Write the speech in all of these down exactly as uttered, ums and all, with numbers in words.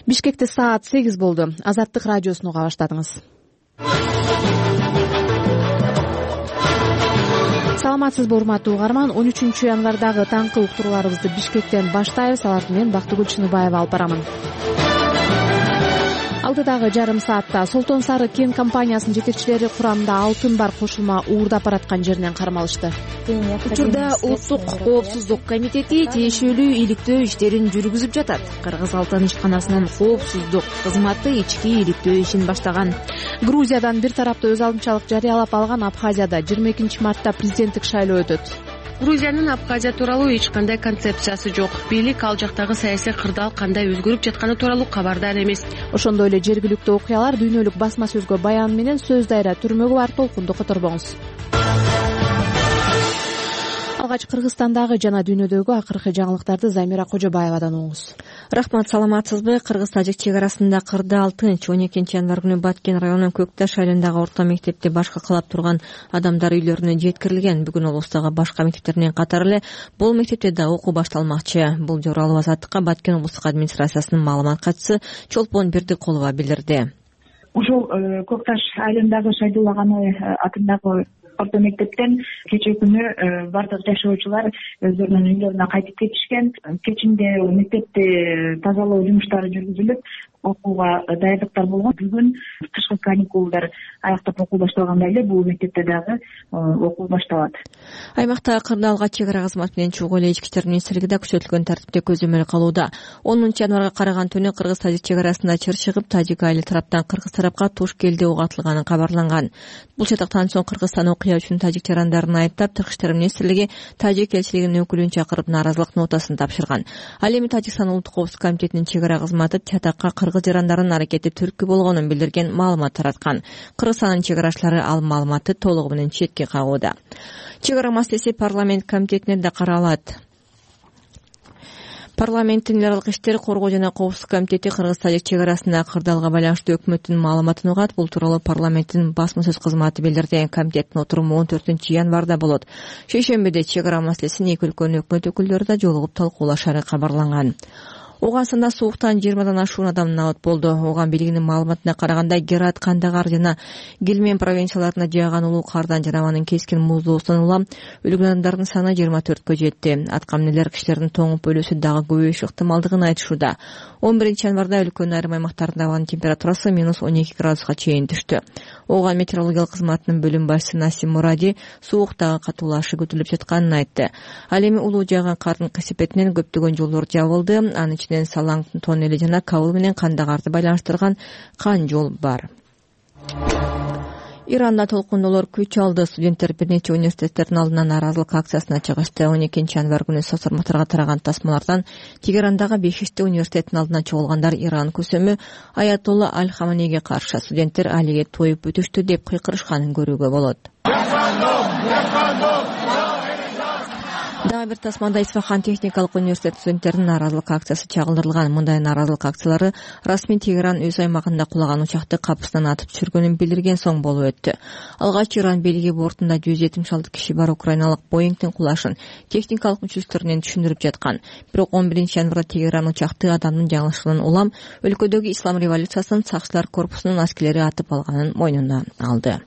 Бишкекте саат сегиз болду. Азаттык радиосун уга баштадыңыз. Саламатсызбы, урматтуу угарман. он үчүнчү январдагы таңкы уктурууларыбызды Бишкектен баштайбыз. Аларды мен Бактыгүл Чыныбаева алып барамын. Алдыдагы жарым саатта Солтон Сары кен компаниясынын жетекчилери курамында алтын бар кошулма уурдап бараткан жеринен кармалышты. Учурда Улуттук коопсуздук комитети тиешелүү иликтөө иштерин жүргүзүп жатат. Кыргыз алтын ишканасынын коопсуздук кызматы ички иликтөө ишин баштаган. Грузиядан бир тараптуу өз алдынчалык жарыялап алган Абхазияда жыйырма экинчи мартта президенттик шайлоо өтөт. Грузиянын Абхазия тууралуу эч кандай концепциясы жок. Бийлик ал жактагы саясий кырдаал кандай өзгөрүп жатканы тууралуу кабардар эмес. Ошондой эле жергиликтүү окуялар, дүйнөлүк басма сөзгө баян менен сөз дайра түрмөгө бар толкунду которбоңуз. Алгач Кыргызстандагы жана дүйнөдөгү акыркы жаңылыктарды Замира Кожобаевадан угуңуз. Рахмат, саламатсызбы? Кыргыз-тажик чек арасында кырда алтынчы он экинчи январ күнү Баткен районунун Көк Таш айылындагы орто мектепте башка калап турган адамдар үйлөрүнө жеткирилген. Бүгүн облустагы башка мектептеринен катары эле бул мектепте да окуу башталмакчы. Бул тууралуу Азаттыкка Баткен облустук администрациясынын маалымат катчысы Чолпон Бердикулова билдирди. Ушул Көк Таш айылындагы Шайдулла Ганы атындагы орто мектептен кечээ күнү бардык жашоочулар өздөрүнүн үйлөрүнө кайтып кетишкен. Кечинде мектепти тазалоо жумуштары жүргүзүлүп, окууга даярдыктар болгон. Бүгүн кышкы каникулдар аяктап окуу башталгандай эле бул мектепте дагы окуу башталат. Аймакта кырда алгач чек ара кызматы менен чогуу эле ички иштер министрлиги да күчөтүлгөн тартипте көзөмөл кылууда. онунчу январга караган түнү кыргыз-тажик чек арасында чыр чыгып, тажик айыл тараптан кыргыз тарапка туш келди ок атылганы кабарланган. Бул чатактан соң Кыргызстан окуя үчүн тажик жарандарын айыптап, Тышкы иштер министрлиги тажик элчилигинин өкүлүн чакырып нааразылык нотасын тапшырган. Ал эми Тажикстан улуттук коопсуздук комитетинин чек ара кызматы чатакка кыргыз жарандарынын аракети түрткү болгонун билдирген маалымат тараткан. Кыргызстандын чек арачылары ал маалыматты толугу менен четке кагууда. Чек ара маселеси парламент комитетинде да каралат. Парламенттин эл аралык иштер, коргоо жана коопсуздук комитети кыргыз-тажик чек арасында кырдаалга байланыштуу өкмөттүн маалыматын угат. Бул тууралуу парламенттин басма сөз кызматы билдирди. Комитеттин отуруму он төртүнчү январда болот. Шейшембиде чек ара маселесин эки өлкөнүн өкмөт өкүлдөрү да жолугуп талкуулашары кабарланган. Оогансында сууктан жыйырмадан ашуун адам набат болду. Ооган бийлигинин маалыматына караганда Герат, Кандагар жана Гелмен провинцияларына жааган улуу кардан жана анын кескин муздоосунан улам өлгөн адамдардын саны жыйырма төрткө жетти. Аткаминерлер кишилердин тоңуп өлүүсү дагы көбөйүшү ыктымалдыгын айтышууда. он биринчи январда өлкөнүн айрым аймактарында абанын температурасы минус он эки градуска чейин түштү. Ооган метеорологиялык кызматынын бөлүм башчысы Насим Муради суук дагы катуулашы күтүлүп жатканын айтты. Ал эми улуу жааган кардын кесепетинен көптөгөн жолдор жабылды. Анын ичинен Салаң тоннели жана Кабыл менен Кандагарды байланыштырган кан жол бар. Иранда толкундоолор күч алды. Студенттер бир нече университеттердин алдынан нааразылык акциясына чыгышты. он экинчи январ күнү соцтармактарга тараган тасмалардан Тегерандагы Бешиште университетинин алдына чогулгандар Иран көсөмү Аятолла Аль-Хаманейге каршы студенттер алиге тоюп бүтүштү деп кыйкырышканын көрүүгө болот. Дагы бир тасмада Исфахан техникалык университет студенттеринин нааразылык акциясы чагылдырылган. Мындай нааразылык акциялары расмий Тегеран өз аймагында кулаган учакты капысынан атып түшүргөнүн билдирген соң болуп өттү. Алгач Иран бийлиги бортунда жүз жетимиш алты киши бар украиналык Боингдин кулашын техникалык мүчөсүнөн түшүндүрүп жаткан. Бирок он биринчи январда Тегеран учакты адамдын жаңылышынан улам өлкөдөгү ислам революциясынын сакчылар корпусунун аскерлери атып алганын мойнуна алды.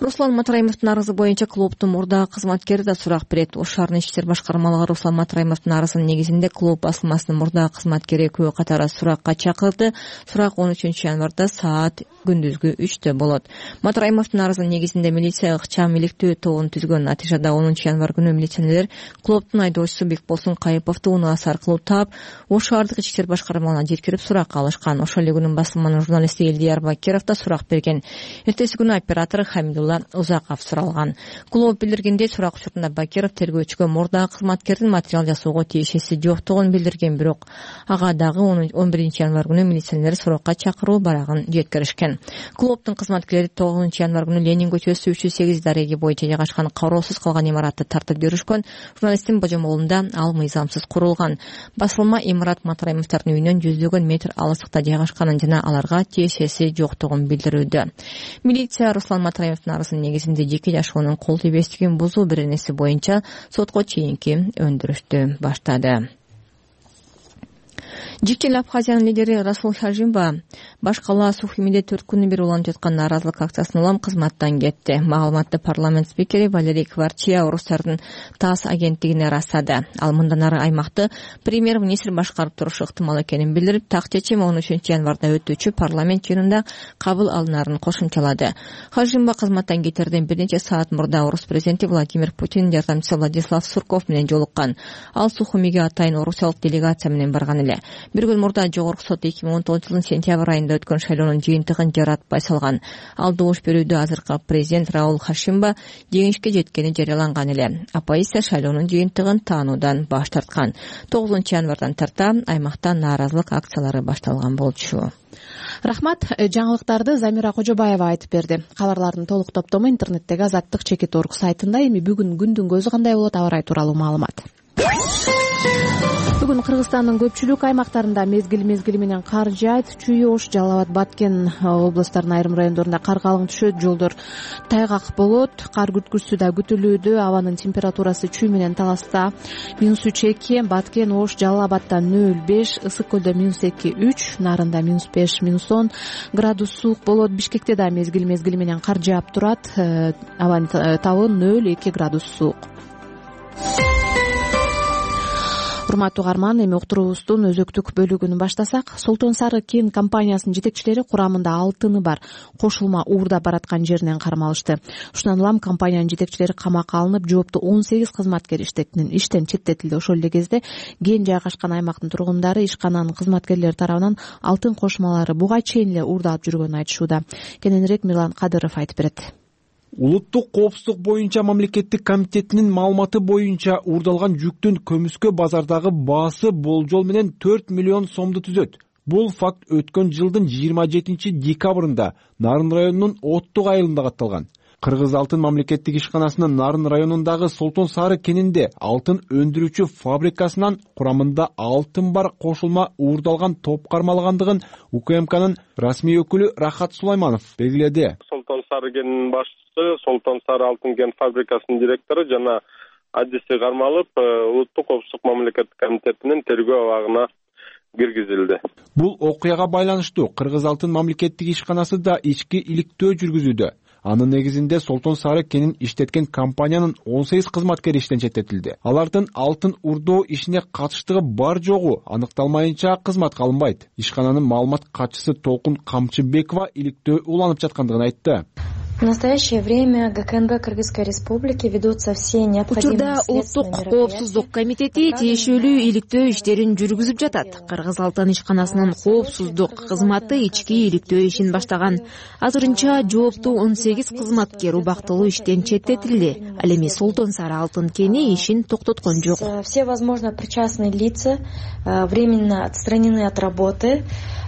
Руслан Матраимовдун арызы боюнча клубдун мурдагы кызматкери да сурак берет. Ош шаарынын ички иштер башкармалыгы Руслан Матраимовдун арызынын негизинде клуб басылмасынын мурдагы кызматкери экөө катары суракка чакырды. Сурак он үчүнчү январда саат күндүзгү үчтө болот. Матраимовдун арызынын негизинде милиция ыкчам иликтөө тобун түзгөн. Натыйжада онунчу январ күнү милиционерлер клубдун айдоочусу Бекболсун Кайыповду унаас аркылуу таап, Ош шаардык ички иштер башкармалыгына жеткирип суракка алышкан. Ошол эле күнү басылманын журналисти Элдияр Бакиров да сурак берген. Эртеси күнү оператор Хамидулла Узаков суралган. Клуб билдиргендей, сурак учурунда Бакиров тергөөчүгө мурдагы кызматкердин материал жасоого тиешеси жоктугун билдирген, бирок ага дагы он биринчи январ күнү милиционерлер суракка чакыруу барагын жеткиришкен. Клубдун кызматкерлери тогузунчу январ күнү Ленин көчөсү үч жүз сегиз дареги боюнча жайгашкан кароосуз калган имаратты тартып жүрүшкөн. Журналисттин божомолунда ал мыйзамсыз курулган. Басылма имарат Матраимовдордун үйүнөн жүздөгөн метр алыстыкта жайгашканын жана аларга тиешеси жоктугун билдирүүдө. Милиция Руслан Матраимовдун арызынын негизинде жеке жашоонун кол тийбестигин бузуу беренеси боюнча сотко чейинки өндүрүштү баштады. Жикчил Абхазиянын лидери Расул Хажимба баш калаа Сухимиде төрт күнү бери уланып жаткан нааразылык акциясынан улам кызматтан кетти. Маалыматты парламент спикери Валерий Кварчия орустардын ТАСС агенттигине ырастады. Ал мындан ары аймакты премьер-министр башкарып турушу ыктымал экенин билдирип, так чечим он үчүнчү январда өтүүчү парламент жыйынында кабыл алынарын кошумчалады. Хажимба кызматтан кетерден бир нече саат мурда орус президенти Владимир Путин жардамчысы Владислав Сурков менен жолуккан. Ал Сухумиге атайын орусиялык делегация менен барган эле. Бир күн мурда Жогорку сот эки миң он тогузунчу жылдын сентябрь айында өткөн шайлоонун жыйынтыгын жаратпай салган. Ал добуш берүүдө азыркы президент Раул Хашимба жеңишке жеткени жарыяланган эле. Оппозиция шайлоонун жыйынтыгын таануудан баш тарткан. тогузунчу январдан тарта аймакта нааразылык акциялары башталган болчу. Рахмат. Жаңылыктарды Замира Кожобаева айтып берди. Кабарлардын толук топтому интернеттеги Азаттык чекит орг сайтында. Эми бүгүн күндүн көзү кандай болот, аба ырайы тууралуу маалымат. Бүгүн Кыргызстандын көпчүлүк аймактарында мезгил мезгили менен кар жаайт. Чүй, Ош, Жалал Абад, Баткен областарынын айрым райондорунда кар калың түшөт, жолдор тайгак болот. Кар күткүчүсү да күтүлүүдө. Абанын температурасы Чүй менен Таласта минус үч эки, Баткен, Ош, Жалал Абадда нөл беш, Ысык көлдө минус эки үч, Нарында минус беш, минус он градус суук болот. Бишкекте да мезгил мезгили менен кар жаап турат. Абанын табы нөл эки градус суук. Урматтуу угарман, эми уктуруубуздун өзөктүк бөлүгүн баштасак, Солтон Сары кен компаниясынын жетекчилери курамында алтыны бар кошулма уурдап бараткан жеринен кармалышты. Ушундан улам компаниянын жетекчилери камакка алынып, жооптуу он сегиз кызматкер иштен четтетилди. Ошол эле кезде кен жайгашкан аймактын тургундары ишкананын кызматкерлери тарабынан алтын кошулмалары буга чейин эле уурдалып жүргөнүн айтышууда. Кененирээк Мирлан Кадыров айтып берет. Улуттук коопсуздук боюнча мамлекеттик комитетинин маалыматы боюнча уурдалган жүктүн көмүскө базардагы баасы болжол менен төрт миллион сомду түзөт. Бул факт өткөн жылдын жыйырма жетинчи декабрында Нарын районунун Оттук айылында катталган. Кыргыз алтын мамлекеттик ишканасынын Нарын районундагы Солтон Сары кенинде алтын өндүрүүчү фабрикасынан курамында алтын бар кошулма уурдалган топ кармалгандыгын УКМКнын расмий өкүлү Рахат Сулайманов белгиледи. Солтон Сары кенинин башчысы, Солтон Сары алтын кен фабрикасынын директору жана адиси кармалып, Улуттук коопсуздук мамлекеттик комитетинин тергөө абагына киргизилди. Бул окуяга байланыштуу Кыргыз алтын мамлекеттик ишканасы да ички иликтөө жүргүзүүдө. Анын негизинде Солтон Сары кенин иштеткен компаниянын он сегиз кызматкери иштен четтетилди. Алардын алтын урдоо ишине катыштыгы бар жогу аныкталмайынча кызматка алынбайт. Ишкананын маалымат катчысы Толкун Камчыбекова иликтөө уланып жаткандыгын айтты. В настоящее время ГКНБ Кыргызской Республики ведутся все необходимые следственные мероприятия. Учурда Улуттук коопсуздук комитети тиешелүү иликтөө иштерин жүргүзүп жатат. Кыргыз алтын ишканасынын коопсуздук кызматы ички иликтөө ишин баштаган. Азырынча жооптуу он сегиз кызматкер убактылуу иштен четтетилди. Ал эми Солтон Сары алтын кени ишин токтоткон жок. Все возможно причастные лица временно отстранены от работы.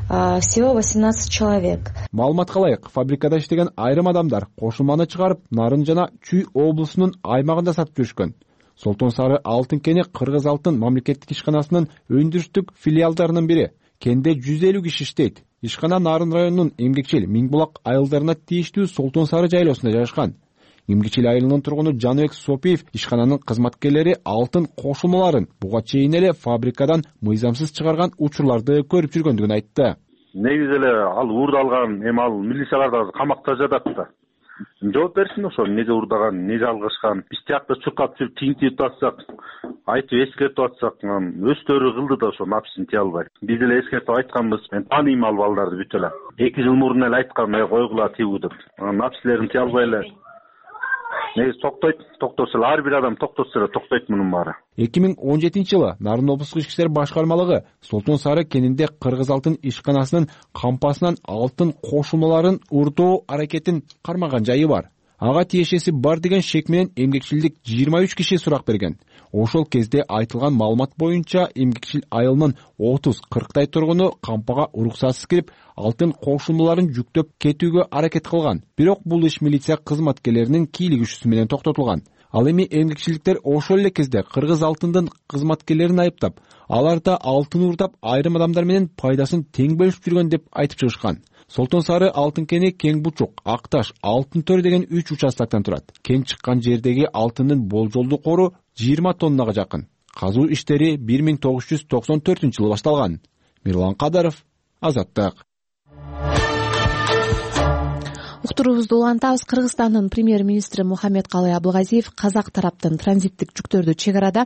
Всего восемнадцать человек. Маалыматка ылайык, фабрикада иштеген айрым адамдар кошулманы чыгарып, Нарын жана Чүй облусунун аймагында сатып жүрүшкөн. Солтон Сары алтын кени Кыргыз алтын мамлекеттик ишканасынын өндүрүштүк филиалдарынын бири. Кенде жүз элүү киши иштейт. Ишкана Нарын районунун Эмгекчил, Миңбулак айылдарына тийиштүү Солтон Сары жайлоосунда жайгашкан. Эмгичил айылынын тургуну Жаныбек Сопиев ишкананын кызматкерлери алтын кошулмаларын буга чейин эле фабрикадан мыйзамсыз чыгарган учурларды көрүп жүргөндүгүн айтты. Негизи эле ал уурдалган, эми ал милициялар да камакта жатат да. Жооп берсин ошо эмнеге уурдаган, эмнеге алгышкан. Биз тиякта чуркап жүрүп тиңтип атсак, айтып эскертип атсак, өздөрү кылды да ошо напсын тие албайт. Биз эле эскертип айтканбыз, мен тааныйм ал балдарды бүт эле. эки жыл мурун эле айткам, э койгула тигүү деп. Напсилерин тие албай эле. Негизи токтойт, токтосо эле ар бир адам токтосо эле токтойт мунун баары. эки миң он жетинчи жылы Нарын облустук ички иштер башкармалыгы Солтон Сары кенинде Кыргыз алтын ишканасынын кампасынан алтын кошулмаларын уурдоо аракетин кармаган жайы бар. Ага тиешеси бар деген шек менен эмгекчилдик жыйырма үч киши сурак берген. Ошол кезде айтылган маалымат боюнча Эмгекчил айылынын отуз кырктай тургуну кампага уруксатсыз кирип, алтын кошулмаларын жүктөп кетүүгө аракет кылган. Бирок бул иш милиция кызматкерлеринин кийлигишүүсү менен токтотулган. Ал эми эмгекчиликтер ошол эле кезде Кыргыз алтындын кызматкерлерин айыптап, аларда алтын уурдап айрым адамдар менен пайдасын тең бөлүшүп жүргөн деп айтып чыгышкан. Солтон Сары алтын кени Кең Бучук, Акташ, Алтын төр деген үч участоктон турат. Кен чыккан жердеги алтындын болжолдуу кору жыйырма тоннага жакын. Казуу иштери бир миң тогуз жүз токсон төртүнчү жылы башталган. Мирлан Кадаров, Азаттык. Уктуруубузду улантабыз. Кыргызстандын премьер-министри Мухаммедкалый Абылгазиев казак тараптын транзиттик жүктөрдү чек арада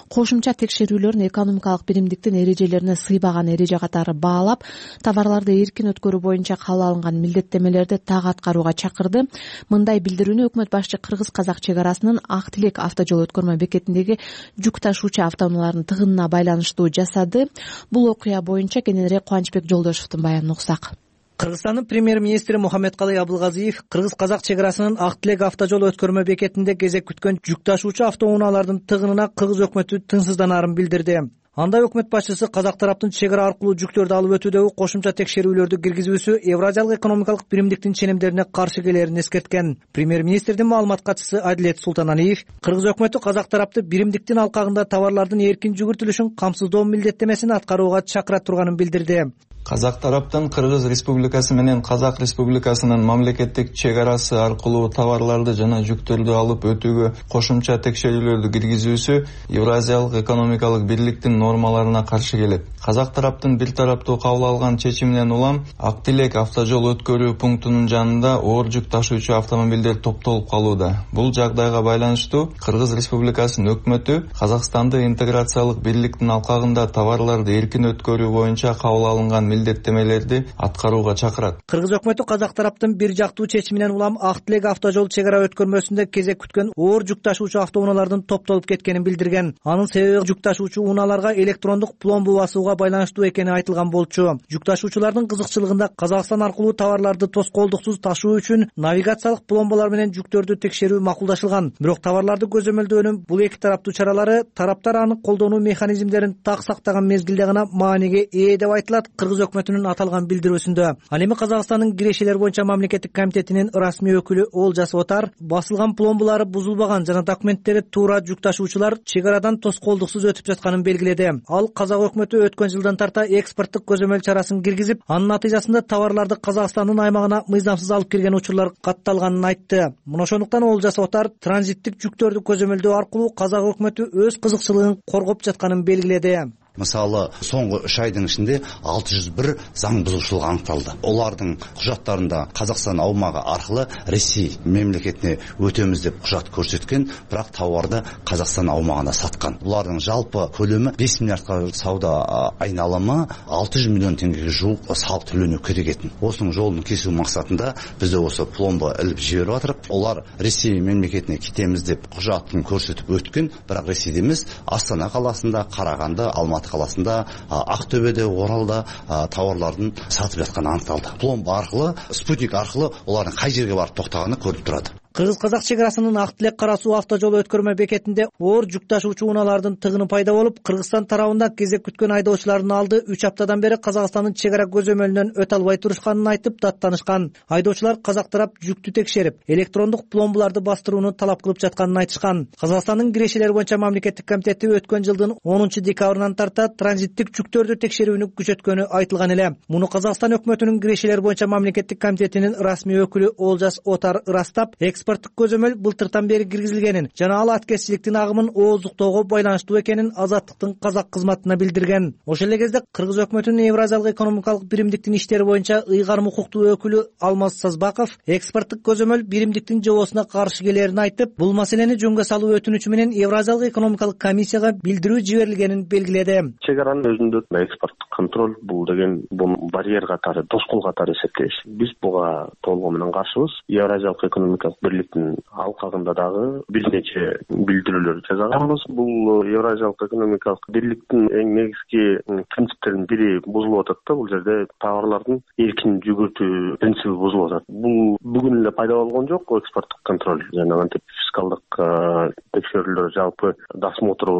кошумча текшерүүлөрүн экономикалык биримдиктин эрежелерине сыйбаган эреже катары баалап, товарларды эркин өткөрүү боюнча кабыл алынган милдеттемелерди так аткарууга чакырды. Мындай билдирүүнү өкмөт башчы кыргыз-казак чек арасынын Ак Тилек автожол өткөрмө бекетиндеги жүк ташуучу автоунаалардын тыгынына байланыштуу жасады. Бул окуя боюнча кененирээк Кубанычбек Жолдошевдун баянын уксак. Кыргызстандын премьер-министри Мухаммедкалый Абылгазиев кыргыз-казак чек арасынын Ак Тилек автожол өткөрмө бекетинде кезек күткөн жүк ташуучу автоунаалардын тыгынына кыргыз өкмөтү тынчсызданаарын билдирди. Анда өкмөт башчысы казак тараптын чек ара аркылуу жүктөрдү алып өтүүдөгү кошумча текшерүүлөрдү киргизүүсү Евразиялык экономикалык биримдиктин ченемдерине каршы келерин эскерткен. Премьер-министрдин маалымат катчысы Адилет Султаналиев кыргыз өкмөтү казак тарапты биримдиктин алкагында товарлардын эркин жүгүртүлүшүн камсыздоо милдеттемесин аткарууга чакыра турганын билдирди. Казак тараптан Кыргыз Республикасы менен Казак Республикасынын мамлекеттик чек арасы аркылуу товарларды жана жүктөрдү алып өтүүгө кошумча текшерүүлөрдү киргизүүсү Евразиялык экономикалык бирликтин нормаларына каршы келет. Казак тараптын бир тараптуу кабыл алган чечиминен улам Ак Тилек автожол өткөрүү пунктунун жанында оор жүк ташуучу автомобилдер топтолуп калууда. Бул жагдайга байланыштуу Кыргыз Республикасынын өкмөтү Казакстанды интеграциялык бирликтин алкагында товарларды эркин өткөрүү боюнча кабыл алынган милдеттемелерди аткарууга чакырат. Кыргыз өкмөтү казак тараптын бир жактуу чечиминен улам Ак Тилек автожол чек ара өткөрмөсүндө кезек күткөн оор жүк ташуучу автоунаалардын топтолуп кеткенин билдирген. Анын себеби жүк ташуучу унааларга электрондук пломбу басууга байланыштуу экени айтылган болчу. Жүк ташуучулардын кызыкчылыгында Казакстан аркылуу товарларды тоскоолдуксуз ташуу үчүн навигациялык пломбалар менен жүктөрдү текшерүү макулдашылган. Бирок товарларды көзөмөлдөөнүн бул эки тараптуу чаралары тараптар аны колдонуу механизмдерин так сактаган мезгилде гана мааниге ээ деп айтылат Кыргыз өкмөтүнүн аталган билдирүүсүндө. Ал эми Казакстандын кирешелер боюнча мамлекеттик комитетинин расмий өкүлү Олжас Отар басылган пломбалары бузулбаган жана документтери туура жүк ташуучулар чек арадан тоскоолдуксуз өтүп жатканын белгиледи. Ал казак өкмөтү өткөн жылдан тарта экспорттук көзөмөл чарасын киргизип, анын натыйжасында товарларды Казакстандын аймагына мыйзамсыз алып кирген учурлар катталганын айтты. Мына ошондуктан Олжас Отар транзиттик жүктөрдү көзөмөлдөө аркылуу казак өкмөтү өз кызыкчылыгын коргоп жатканын белгиледи. Мисалы, соңғы үч айдын ичинде алты жүз бир заң бузушулук аныкталды. Олардын кужаттарында Казакстан аумагы аркылуу Ресей мемлекетине өтөмүз деп кужат көрсөткөн, бирок товарды Казакстан аумагына саткан. Булардын жалпы көлөмү беш миллиардка сауда айналымы алты жүз миллион теңгеге жуук салык төлөнүү керек экен. Осунун жолун кесүү максатында бизде осы пломба илип жиберип атырып, олар Ресей мемлекетине кетемиз деп кужатын көрсөтүп өткөн, бирок Ресейде эмес, Астана каласында, Караганды, Алматы каласында, Актөбөдө, Оралда товарлардын сатып жатканы аныкталды. Пломба аркылуу, спутник аркылуу олардын кай жерге барып токтоганы көрүнүп турат. Кыргыз-казак чек арасынын Ак Тилек кара суу автожол өткөрмө бекетинде оор жүк ташуучу унаалардын тыгыны пайда болуп, Кыргызстан тарабында кезек күткөн айдоочулардын алды үч аптадан бери Казакстандын чек ара көзөмөлүнөн өтө албай турушканын айтып даттанышкан. Айдоочулар казак тарап жүктү текшерип, электрондук пломбаларды бастырууну талап кылып жатканын айтышкан. Казакстандын кирешелер боюнча мамлекеттик комитети өткөн жылдын онунчу декабрынан тарта транзиттик жүктөрдү текшерүүнү күчөткөнү айтылган эле. Муну Казакстан өкмөтүнүн кирешелер боюнча мамлекеттик комитетинин расмий өкүлү Олжас Отар ырастап, экспорттук көзөмөл былтыртан бери киргизилгенин жана ал аткезчиликтин агымын ооздуктоого байланыштуу экенин Азаттыктын казак кызматына билдирген. Ошол эле кезде Кыргыз өкмөтүнүн Евразиялык экономикалык биримдиктин иштери боюнча ыйгарым укуктуу өкүлү Алмаз Сазбаков экспорттук көзөмөл биримдиктин жобосуна каршы келерин айтып, бул маселени жөнгө салуу өтүнүчү менен Евразиялык экономикалык комиссияга билдирүү жиберилгенин белгиледи. Чек аранын өзүндө экспорттук контроль бул деген бул барьер катары, тоскоол катары эсептейбиз. Биз буга толугу менен каршыбыз. Евразиялык экономикалык бирликтин алкагында дагы бир нече билдирүүлөр жасаганбыз. Бул Евразиялык экономикалык бирликтин эң негизги принциптеринин бири бузулуп атат да. Бул жерде товарлардын эркин жүгүртүү принциби бузулуп атат. Бул бүгүн эле пайда болгон жок. Экспорттук контроль жана антип фискалдык текшерүүлөр, жалпы досмотр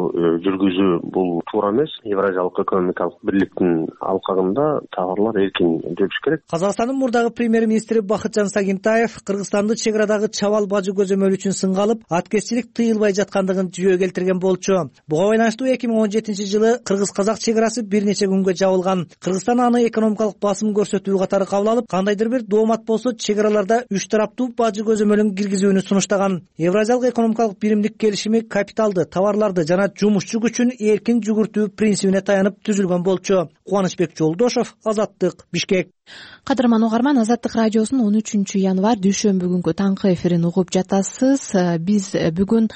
жүргүзүү бул туура эмес. Евразиялык экономикалык бирликтин алкагында товарлар эркин жүрүш керек. Казакстандын мурдагы премьер-министри Бакытжан Сагинтаев Кыргызстанды чек арадагы чабал бажы көзөмөл үчүн сынга алып, аткезчилик тыйылбай жаткандыгын жүйө келтирген болчу. Буга байланыштуу эки миң он жетинчи жылы кыргыз-казак чек арасы бир нече күнгө жабылган. Кыргызстан аны экономикалык басым көрсөтүү катары кабыл алып, кандайдыр бир доомат болсо чек араларда үч тараптуу бажы көзөмөлүн киргизүүнү сунуштаган. Евразиялык экономикалык биримдик келишими капиталды, товарларды жана жумушчу күчүн эркин жүгүртүү принцибине таянып түзүлгөн болчу. Кубанычбек Жолдошов, Азаттык, Бишкек. Кадырман угарман, Азаттык радиосунун он үчүнчү январь дүйшөмбү күнгү таңкы эфирин угуп жатасыз. Биз бүгүн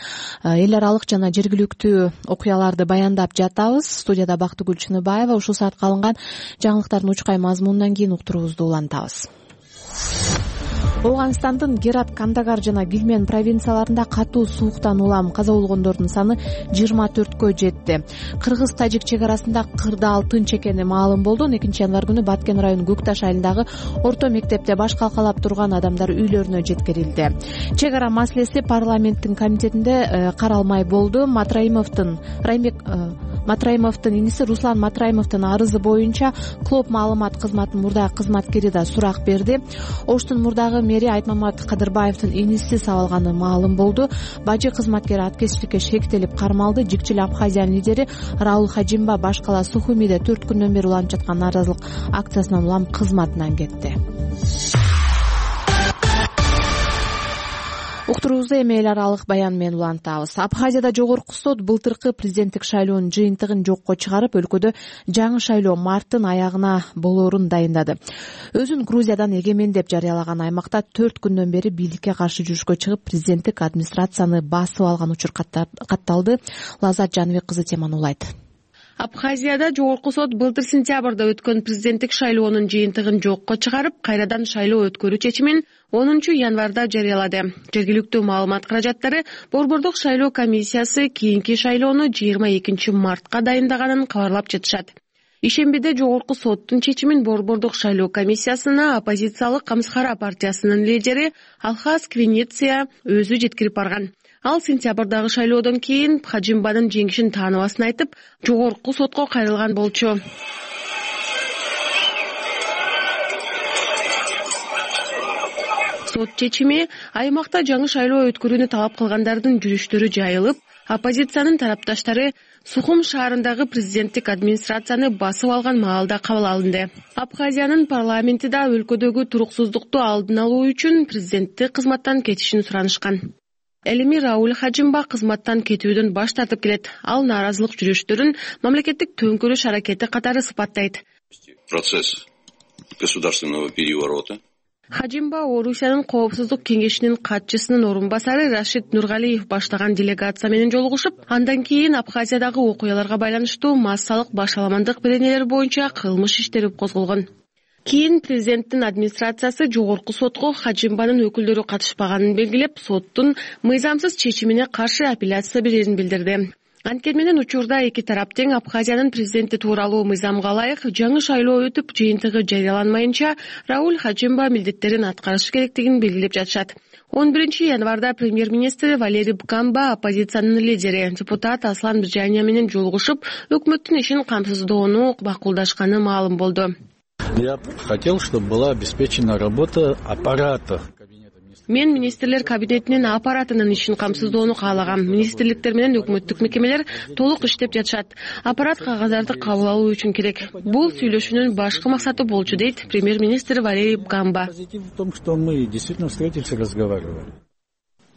эл аралык жана жергиликтүү окуяларды баяндап жатабыз. Студияда Бактыгүл Чыныбаева. Ушул саатка алынган жаңылыктардын учкай мазмунунан кийин уктуруубузду улантабыз. Ооганстандын Герат, Кандагар жана Гилмен провинцияларында катуу сууктан улам каза болгондордун саны жыйырма төрткө жетти. Кыргыз-тажик чек арасында кырдаал тынч экени маалым болду. он экинчи январь күнү Баткен району Көкташ айылындагы орто мектепте баш калкалап турган адамдар үйлөрүнө жеткирилди. Чек ара маселеси парламенттин комитетинде каралмай болду. Матраимовдун Раймбек Матраимовдун иниси Руслан Матраимовдун арызы боюнча Клоп маалымат кызматынын мурдагы кызматкери да сурак берди. Оштун мурдагы мэри Айтмамат Кадырбаевдин иниси сабалганы маалым болду. Бажы кызматкери аткезчиликке шектелип кармалды. Жикчил Абхазиянын лидери Раул Хажимба башкала Сухумиде төрт күндөн бери уланып жаткан нааразылык акциясынан улам кызматынан кетти. Уктуруубузду эми эл аралык баян менен улантабыз. Абхазияда жогорку сот былтыркы президенттик шайлоонун жыйынтыгын жокко чыгарып, өлкөдө жаңы шайлоо марттын аягына болоорун дайындады. Өзүн Грузиядан эгемен деп жарыялаган аймакта төрт күндөн бери бийликке каршы жүрүшкө чыгып, президенттик администрацияны басып алган учур катталды. Лазат Жаныбек кызы теманы улайт. Абхазияда жогорку сот былтыр сентябрда өткөн президенттик шайлоонун жыйынтыгын жокко чыгарып, кайрадан шайлоо өткөрүү чечимин онунчу январда жарыялады. Жергиликтүү маалымат каражаттары Борбордук шайлоо комиссиясы кийинки шайлоону жыйырма экинчи мартка дайындаганын кабарлап жатышат. Ишембиде жогорку соттун чечимин Борбордук шайлоо комиссиясына оппозициялык Камсхара партиясынын лидери Алхас Квинеция өзү жеткирип барган. Ал сентябрдагы шайлоодон кийин Хажимбанын жеңишин тааныбасын айтып, жогорку сотко кайрылган болчу. Сот чечими аймакта жаңы шайлоо өткөрүүнү талап кылгандардын жүрүштөрү жайылып, оппозициянын тарапташтары Сухум шаарындагы президенттик администрацияны басып алган маалда кабыл алынды. Абхазиянын парламенти да өлкөдөгү туруксуздукту алдын алуу үчүн президенттик кызматтан кетишин суранышкан. Элими Рауль Хажимба кызматтан кетүүдөн баш тартып келет. Ал нааразылык жүрүштөрүн мамлекеттик төңкөрүш аракети катары сыпаттайт. Процесс государственного переворота. Хажимба Орусиянын коопсуздук кеңешинин катчысынын орун басары Рашид Нургалиев баштаган делегация менен жолугушуп, андан кийин Абхазиядагы окуяларга байланыштуу массалык башаламандык беренелер боюнча кылмыш иштери козголгон. Кийин президенттин администрациясы жогорку сотко Хажимбанын өкүлдөрү катышпаганын белгилеп, соттун мыйзамсыз чечимине каршы апелляция берерин билдирди. Анткени менен учурда эки тарап тең Абхазиянын президенти тууралуу мыйзамга ылайык жаңы шайлоо өтүп, жыйынтыгы жарыяланмайынча Рауль Хажимба милдеттерин аткарышы керектигин белгилеп жатышат. он биринчи январда премьер-министр Валерий Бкамба оппозициянын лидери депутат Аслан Бжания менен жолугушуп, өкмөттүн ишин камсыздоону макулдашканы маалым болду. Я хотел, чтобы была обеспечена работа аппарата. Мен министрлер кабинетинин аппаратынын ишин камсыздоону каалагам. Министрликтер менен өкмөттүк мекемелер толук иштеп жатышат. Аппарат кагаздарды кабыл алуу үчүн керек. Бул сүйлөшүүнүн башкы максаты болчу, дейт премьер-министр Валерий Бкамба. В том, что мы действительно встретились и разговаривали.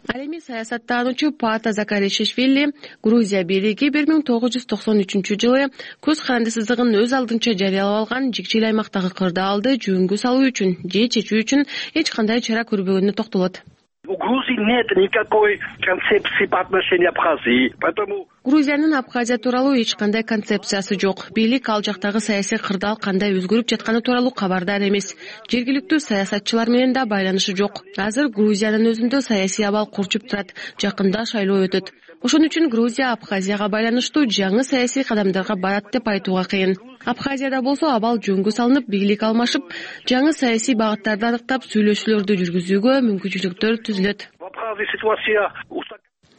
Ал эми саясаттануучу Паата Закаришвили Грузия бийлиги бир миң тогуз жүз токсон үчүнчү жылы көз карандысыздыгын өз алдынча жарыялап алган жикчил аймактагы кырдаалды жөнгө салуу үчүн же чечүү үчүн эч кандай чара көрбөгөнүнө токтолот. У Грузии нет никакой концепции по отношению к Абхазии, поэтому Грузиянын Абхазия тууралуу эч кандай концепциясы жок. Бийлик ал жактагы саясий кырдаал кандай өзгөрүп жатканы тууралуу кабардар эмес. Жергиликтүү саясатчылар менен да байланышы жок. Азыр Грузиянын өзүндө саясий абал курчуп турат. Жакында шайлоо өтөт. Ошон үчүн Грузия Абхазияга байланыштуу жаңы саясий кадамдарга барат деп айтууга кыйын. Абхазияда болсо абал жөнгө салынып, бийлик алмашып, жаңы саясий багыттарды аныктап, сүйлөшүүлөрдү жүргүзүүгө мүмкүнчүлүктөр түзүлөт,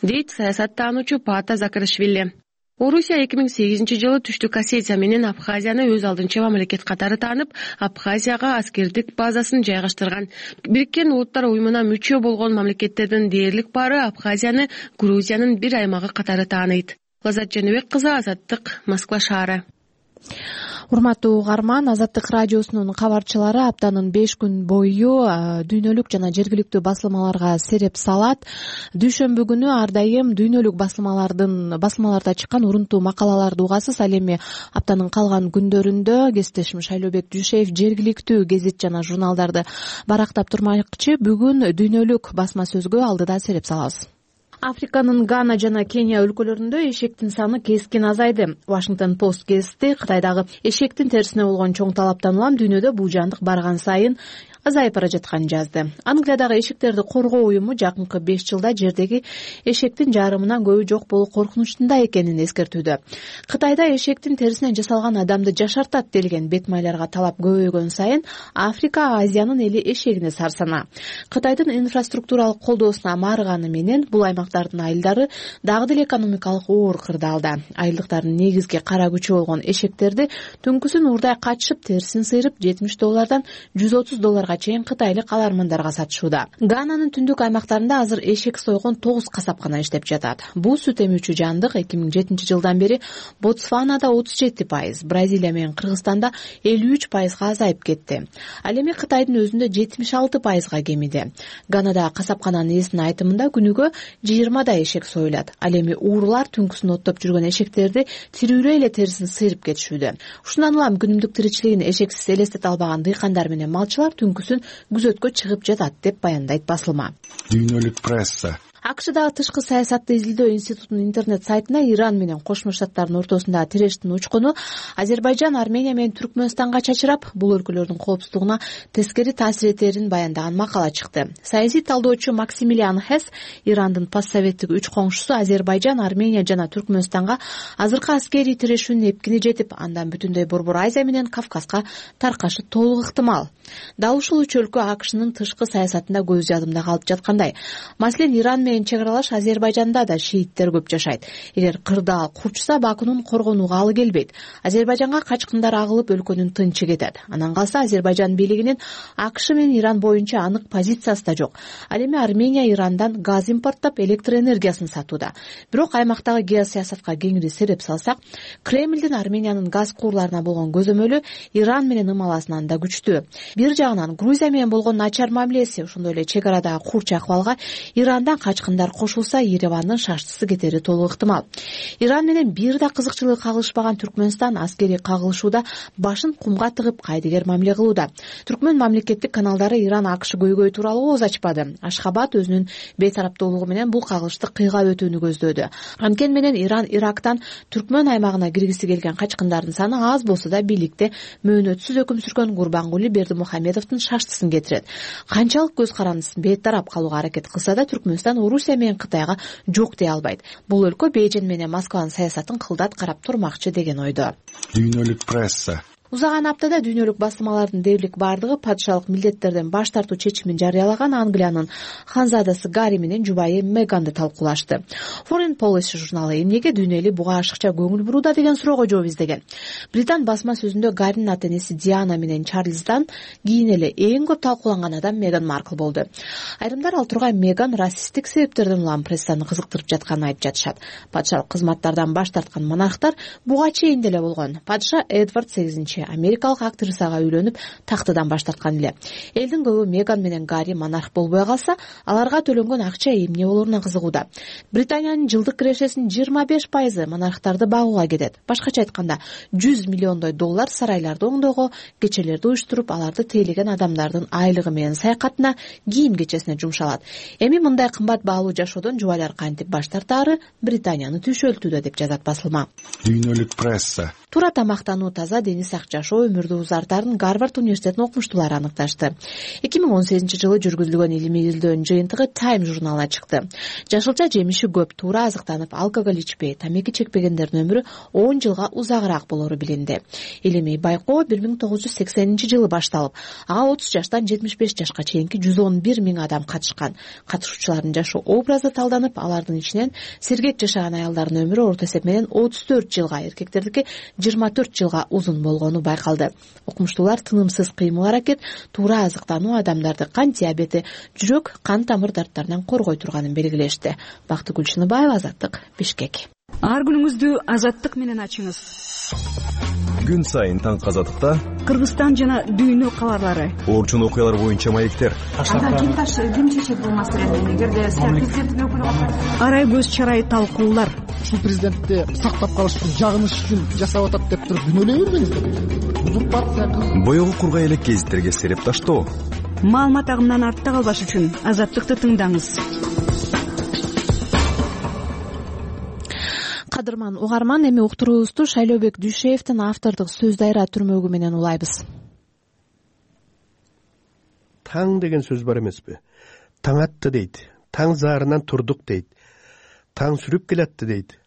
дейт саясаттануучу Паата Закаришвили. Орусия эки миң сегизинчи жылы Түштүк Осетия менен Абхазияны өз алдынча мамлекет катары таанып, Абхазияга аскердик базасын жайгаштырган. Бириккен Улуттар уюмуна мүчө болгон мамлекеттердин дээрлик баары Абхазияны Грузиянын бир аймагы катары тааныйт. Лазат Жаныбек кызы, Азаттык, Москва шаары. Урматтуу угарман, Азаттык радиосунун кабарчылары аптанын беш күн бою дүйнөлүк жана жергиликтүү басылмаларга сереп салат. Дүйшөмбү күнү ар дайым дүйнөлүк басылмалардын басылмаларда чыккан урунтуу макалаларды угасыз. Ал эми аптанын калган күндөрүндө кесиптешим Шайлообек Дүйшеев жергиликтүү гезит жана журналдарды барактап турмакчы. Бүгүн дүйнөлүк басма сөзгө алдыда сереп салабыз. Африканын Гана жана Кения өлкөлөрүндө эшектин саны кескин азайды. Washington Post гезити Кытайдагы эшектин терисине болгон чоң талаптан улам дүйнөдө бул жандык барган сайын азайып бара жатканын жазды. Англиядагы эшектерди коргоо уюму жакынкы беш жылда жердеги эшектин жарымынан көбү жок болуу коркунучунда экенин эскертүүдө. Кытайда эшектин терисинен жасалган адамды жашартат делген бет майларга талап көбөйгөн сайын Африка Азиянын эли эшегине сарсана. Кытайдын инфраструктуралык колдоосуна маарыганы менен бул аймактардын айылдары дагы деле экономикалык оор кырдаалда. Айылдыктардын негизги кара күчү болгон эшектерди түнкүсүн уурдай качышып, терисин сыйрып жетимиш доллардан жүз отуз долларга чейин кытайлык калармандарга сатышууда. Гананын түндүк аймактарында азыр эшек сойгон тогуз касапкана иштеп жатат. Бул сүт эмүүчү жандык эки миң жетинчи жылдан бери Ботсванада отуз жети пайыз, Бразилия менен Кыргызстанда элүү үч пайызга азайып кетти. Ал эми Кытайдын өзүндө жетимиш алты пайызга кемиди. Ганада касапкананын ээсинин айтымында күнүгө жыйырмадай эшек союлат. Ал эми уурулар түнкүсүн оттоп жүргөн эшектерди тирүүрөй эле терисин сыйрып кетишүүдө. Ушундан улам күнүмдүк тиричилигин эшексиз элестете албаган дыйкандар менен малчылар түнкүсүн күзөткө чыгып жатат деп баяндайт басылма. Дүйнөлүк пресса. АКШдагы тышкы саясатты изилдөө институтунун интернет сайтына Иран менен Кошмо Штаттардын ортосундагы тирештин учкуну Азербайжан, Армения менен Түркмөнстанга чачырап, бул өлкөлөрдүн коопсуздугуна тескери таасир этерин баяндаган макала чыкты. Саясий талдоочу Максимилиан Хесс Ирандын постсоветтик үч коңшусу Азербайжан, Армения жана Түркмөнстанга азыркы аскерий тирешүүнүн эпкини жетип, андан бүтүндөй Борбор Азия менен Кавказга таркашы толук ыктымал. Дал ушул үч өлкө АКШнын тышкы саясатында көз жадымда калып жаткандай. Маселен, Иран менен чек аралаш Азербайжанда да шииттер көп жашайт. Эгер кырдаал курчса, Бакунун коргонууга алы келбейт. Азербайжанга качкындар агылып, өлкөнүн тынчы кетет. Анан калса Азербайжан бийлигинин АКШ менен Иран боюнча анык позициясы да жок. Ал эми Армения Ирандан газ импорттоп, электр энергиясын сатууда. Бирок аймактагы геосаясатка кеңири сереп салсак, Кремлдин Армениянын газ куурларына болгон көзөмөлү Иран менен ымаласынан да күчтүү. Бир жагынан Грузия менен болгон начар мамилеси, ошондой эле чек арадагы курч акыбалга Ирандан качкындар кошулса, Еревандын шаштысы кетери толук ыктымал. Иран менен бир да кызыкчылыгы кагылышпаган Түркмөнстан аскерий кагылышууда башын кумга тыгып кайдыгер мамиле кылууда. Түркмөн мамлекеттик каналдары Иран АКШ көйгөй тууралуу ооз ачпады. Ашхабад өзүнүн бейтараптуулугу менен бул кагылышты кыйгап өтүүнү көздөөдү. Анткени менен Иран Ирактан Түркмөн аймагына киргиси келген качкындардын саны аз болсо да бийликте мөөнөтсүз өкүм сүргөн Гурбангули Бердимухамедовдун шаштысын кетирет. Канчалык көз карандысыз бейтарап калууга аракет кылса да Түркмөнстан Орусия менен Кытайга жок дей албайт. Бул өлкө Бейжин менен Москванын саясатын кылдат карап турмакчы деген ойдо. Дүйнөлүк пресса. Узаган аптада дүйнөлүк басылмалардын дээрлик бардыгы падышалык милдеттерден баш тартуу чечимин жарыялаган Англиянын ханзадасы Гарри менен жубайы Меганды талкуулашты. Foreign Policy журналы эмнеге дүйнө эли буга ашыкча көңүл бурууда деген суроого жооп издеген. Британ басма сөзүндө Гарринин ата-энеси Диана менен Чарльздан кийин эле эң көп талкууланган адам Меган Маркл болду. Айрымдар ал тургай Меган расисттик себептерден улам прессаны кызыктырып жатканын айтып жатышат. Падышалык кызматтардан баш тарткан монархтар буга чейин деле болгон. Падыша Эдвард сегизинчи америкалык актрисага үйлөнүп, тактыдан баш тарткан эле. Элдин көбү Меган менен Гарри монарх болбой калса, аларга төлөнгөн акча эмне болоруна кызыгууда. Британиянын жылдык кирешесинин жыйырма беш пайызы монархтарды багууга кетет. Башкача айтканда, жүз миллиондой доллар сарайларды оңдоого, кечелерди уюштуруп, аларды тейлеген адамдардын айлыгы менен саякатына, кийим-кечесине жумшалат. Эми мындай кымбат баалуу жашоодон жубайлар кантип баш тартаары Британияны түйшөлтүүдө деп жазат басылма. Дүйнөлүк пресса. Туура тамактануу, таза дени сак жашоо өмүрдү узартарын Гарвард университетинин окумуштуулары аныкташты. эки миң он сегизинчи жылы жүргүзүлгөн илимий изилдөөнүн жыйынтыгы Time журналына чыкты. Жашылча жемиши көп, туура азыктанып, алкоголь ичпей, тамеки чекпегендердин өмүрү он жылга узагыраак болору билинди. Илимий байкоо бир миң тогуз жүз сексенинчи жылы башталып, ага отуз жаштан жетимиш беш жашка чейинки жүз он бир миң адам катышкан. Катышуучулардын жашоо образы талданып, алардын ичинен сергек жашаган аялдардын өмүрү орто эсеп менен отуз төрт жылга, эркектердики жыйырма төрт жылга узун болгону байкалды. Окумуштуулар тынымсыз кыймыл аракет, туура азыктануу адамдарды кант диабети, жүрөк, кан тамыр дарттарынан коргой турганын белгилешти. Бактыгүл Шыныбаева, Азаттык, Бишкек. Ар күнүңүздү Азаттык менен ачыңыз. Күн сайын таң Азаттыкта Кыргызстан жана дүйнө кабарлары, орчун окуялар боюнча маектер. Анда ким таш ким чечет бул маселени? Эгерде президенттин өкүлү арай көз чарай талкуулар. Ушул президентти сактап калыш үчүн, жагыныш үчүн жасап атат деп туруп күнөөлөй бербеңиздер. Бул партия боёгу кургай элек гезиттерге сереп таштоо. Маалымат агымынан артта калбаш үчүн Азаттыкты тыңдаңыз. Кадырман угарман, эми уктуруубузду Шайлообек Дүйшеевдин автордук сөз дайра түрмөгү менен улайбыз. Таң деген сөз бар эмеспи? Таң атты дейт. Таң заарынан турдук дейт. Таң сүрүп келатты дейт.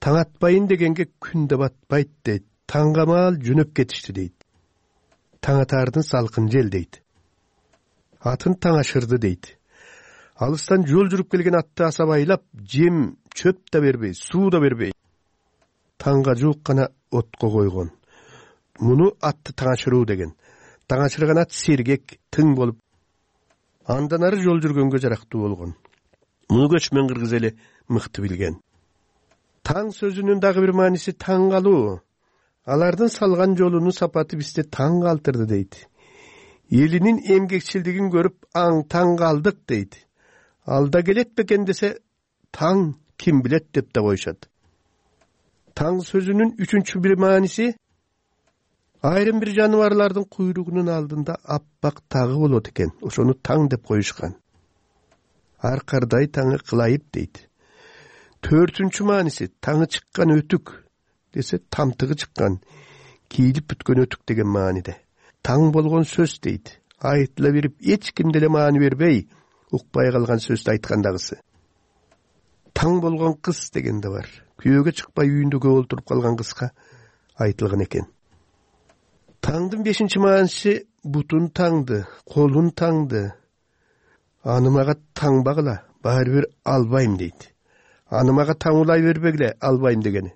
Таң атпайын дегенге күн да батпайт дейт. Таңгамал жөнөп кетишти дейт. Таң атаардын салкын жел дейт. Атын таң ашырды дейт. Алыстан жол жүрүп келген атты асабайлап, жем, чөп да бербей, суу да бербей, таңга жуук гана отко койгон. Муну атты таң ашыруу деген. Таң ашырган ат сергек, тың болуп, андан ары жол жүргөнгө жарактуу болгон. Муну көчмөн кыргыз эли мыкты билген. Таң сөзүнүн дагы бир мааниси таң калуу. Алардын салган жолунун сапаты бизде таң калтырды дейт. Элинин эмгекчилдигин көрүп аң таң калдык дейт. Алда келет бекен десе, таң ким билет деп да коюшат. Таң сөзүнүн үчүнчү бир мааниси, айрым бир жаныбарлардын куйругунун алдында аппак тагы болот экен. Ошону таң деп коюшкан. Аркардай таңы кылайып дейт. Төртүнчү мааниси, таңы чыккан өтүк десе, тамтыгы чыккан, кийилип бүткөн өтүк деген мааниде. Таң болгон сөз дейт. Айтыла берип, эч ким деле маани бербей, укпай калган сөздү айткандагысы. Таң болгон кыз деген да бар. Күйөөгө чыкпай үйүндө көп олтуруп калган кызга айтылган экен. Таңдын бешинчи мааниси бутун таңды, колун таңды. Аны мага таңбагыла, баары бир албайм дейт. Аны мага таңулай бербегиле, албайм дегени.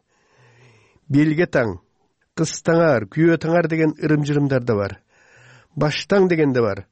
Белге таң, кыз таңар, күйөө таңар деген ырым-жырымдар да бар. Баштаң деген да бар.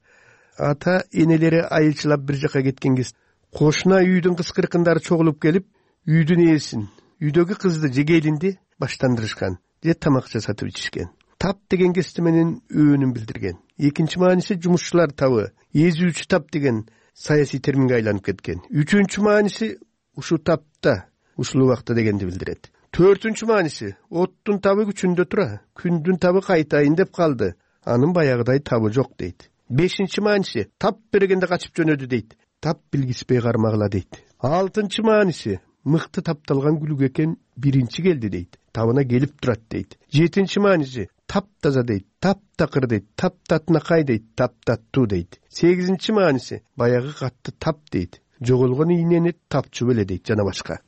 Ата энелери айылчылап бир жака кеткен кез кошуна үйдүн кыз-кыркындары чогулуп келип, үйдүн ээсин, үйдөгү кызды же келинди баштандырышкан, же тамак жасатып ичишкен. Тап деген кести менен өөнүн билдирген. Экинчи мааниси жумушчулар табы, эзүүчү тап деген саясий терминге айланып кеткен. Үчүнчү мааниси ушу тапта, ушул убакта дегенди билдирет. Төртүнчү мааниси оттун табы күчүндө тура, күндүн табы кайтайын деп калды. Анын баягыдай табы жок дейт. Бешинчи мааниси тап бергенде качып жөнөдү дейт. Тап билгиспей кармагыла дейт. Алтынчы мааниси мыкты тапталган күлүк экен, биринчи келди дейт. Табына келип турат дейт. Жетинчи мааниси тап таза дейт, тап такыр дейт, тап татынакай дейт, тап таттуу дейт. Сегизинчи мааниси баягы катты тап дейт. Жоголгон ийнени тапчу беле дейт, жана башка.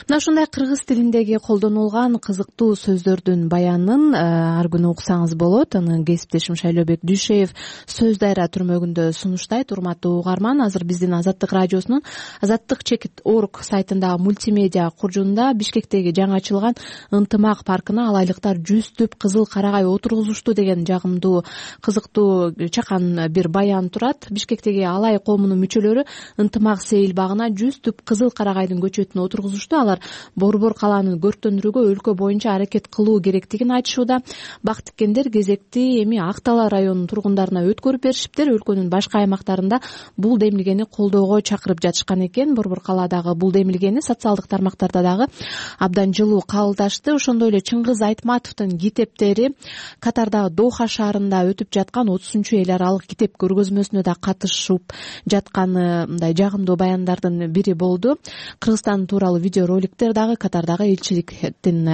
Мына ушундай кыргыз тилиндеги колдонулган кызыктуу сөздөрдүн баянын ар күнү уксаңыз болот. Аны кесиптешим Шайлообек Дүйшеев сөз дайра түрмөгүндө сунуштайт. Урматтуу угарман, азыр биздин Азаттык радиосунун азаттык чекит точка орг сайтындагы мультимедиа куржунда Бишкектеги жаңы ачылган Ынтымак паркына алайлыктар жүз түп кызыл карагай отургузушту деген жагымдуу, кызыктуу, чакан бир баян турат. Бишкектеги алай коомунун мүчөлөрү Ынтымак сейил багына жүз түп кызыл карагайдын көчөтүн отургузушту. Алар борбор калааны көрктөндүрүүгө өлкө боюнча аракет кылуу керектигин айтышууда. Бак тиккендер кезекти эми Ак Дала районунун тургундарына өткөрүп беришиптир. Өлкөнүн башка аймактарында бул демилгени колдоого чакырып жатышкан экен. Борбор калаадагы бул демилгени социалдык тармактарда дагы абдан жылуу кабылдашты. Ошондой эле Чыңгыз Айтматовдун китептери Катардагы Доха шаарында өтүп жаткан отузунчу эл аралык китеп көргөзмөсүнө да катышып жатканы мындай жагымдуу баяндардын бири болду. Кыргызстан тууралуу тууралуу видеороликтер дагы Катардагы элчиликтин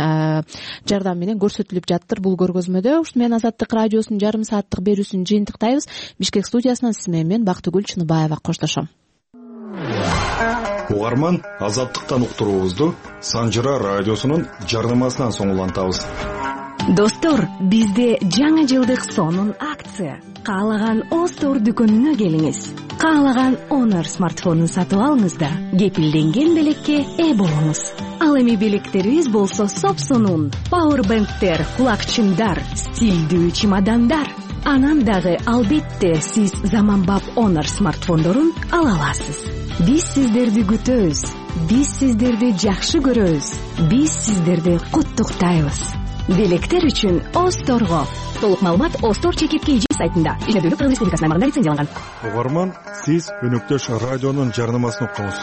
жардамы менен көрсөтүлүп жаттыр бул көргөзмөдө. Ушу менен Азаттык радиосунун жарым сааттык берүүсүн жыйынтыктайбыз. Бишкек студиясынан сиз менен мен Бактыгүл Чыныбаева коштошом. Угарман, Азаттыктан уктуруубузду Санжыра радиосунун жарнамасынан соң улантабыз. Достор, бизде жаңы жылдык сонун акция. Каалаган Остор дүкөнүнө келиңиз. Каалаган Honor смартфонун сатып алыңыз да кепилденген белекке ээ болуңуз. Ал эми белектерибиз болсо сопсонун. Powerbanktер, кулакчындар, стилдүү чемодандар. Анан дагы албетте сиз заманбап Honor смартфондорун ала аласыз. Биз сиздерди күтөбүз. Биз сиздерди жакшы көрөбүз. Биз сиздерди куттуктайбыз. Белектер үчүн Осторго. Толук маалымат Остор чекит кей жи сайтында. Иштөөлүк Кыргыз Республикасынын аймагында лицензияланган. Угарман, сиз өнөктөш радионун жарнамасын уктуңуз.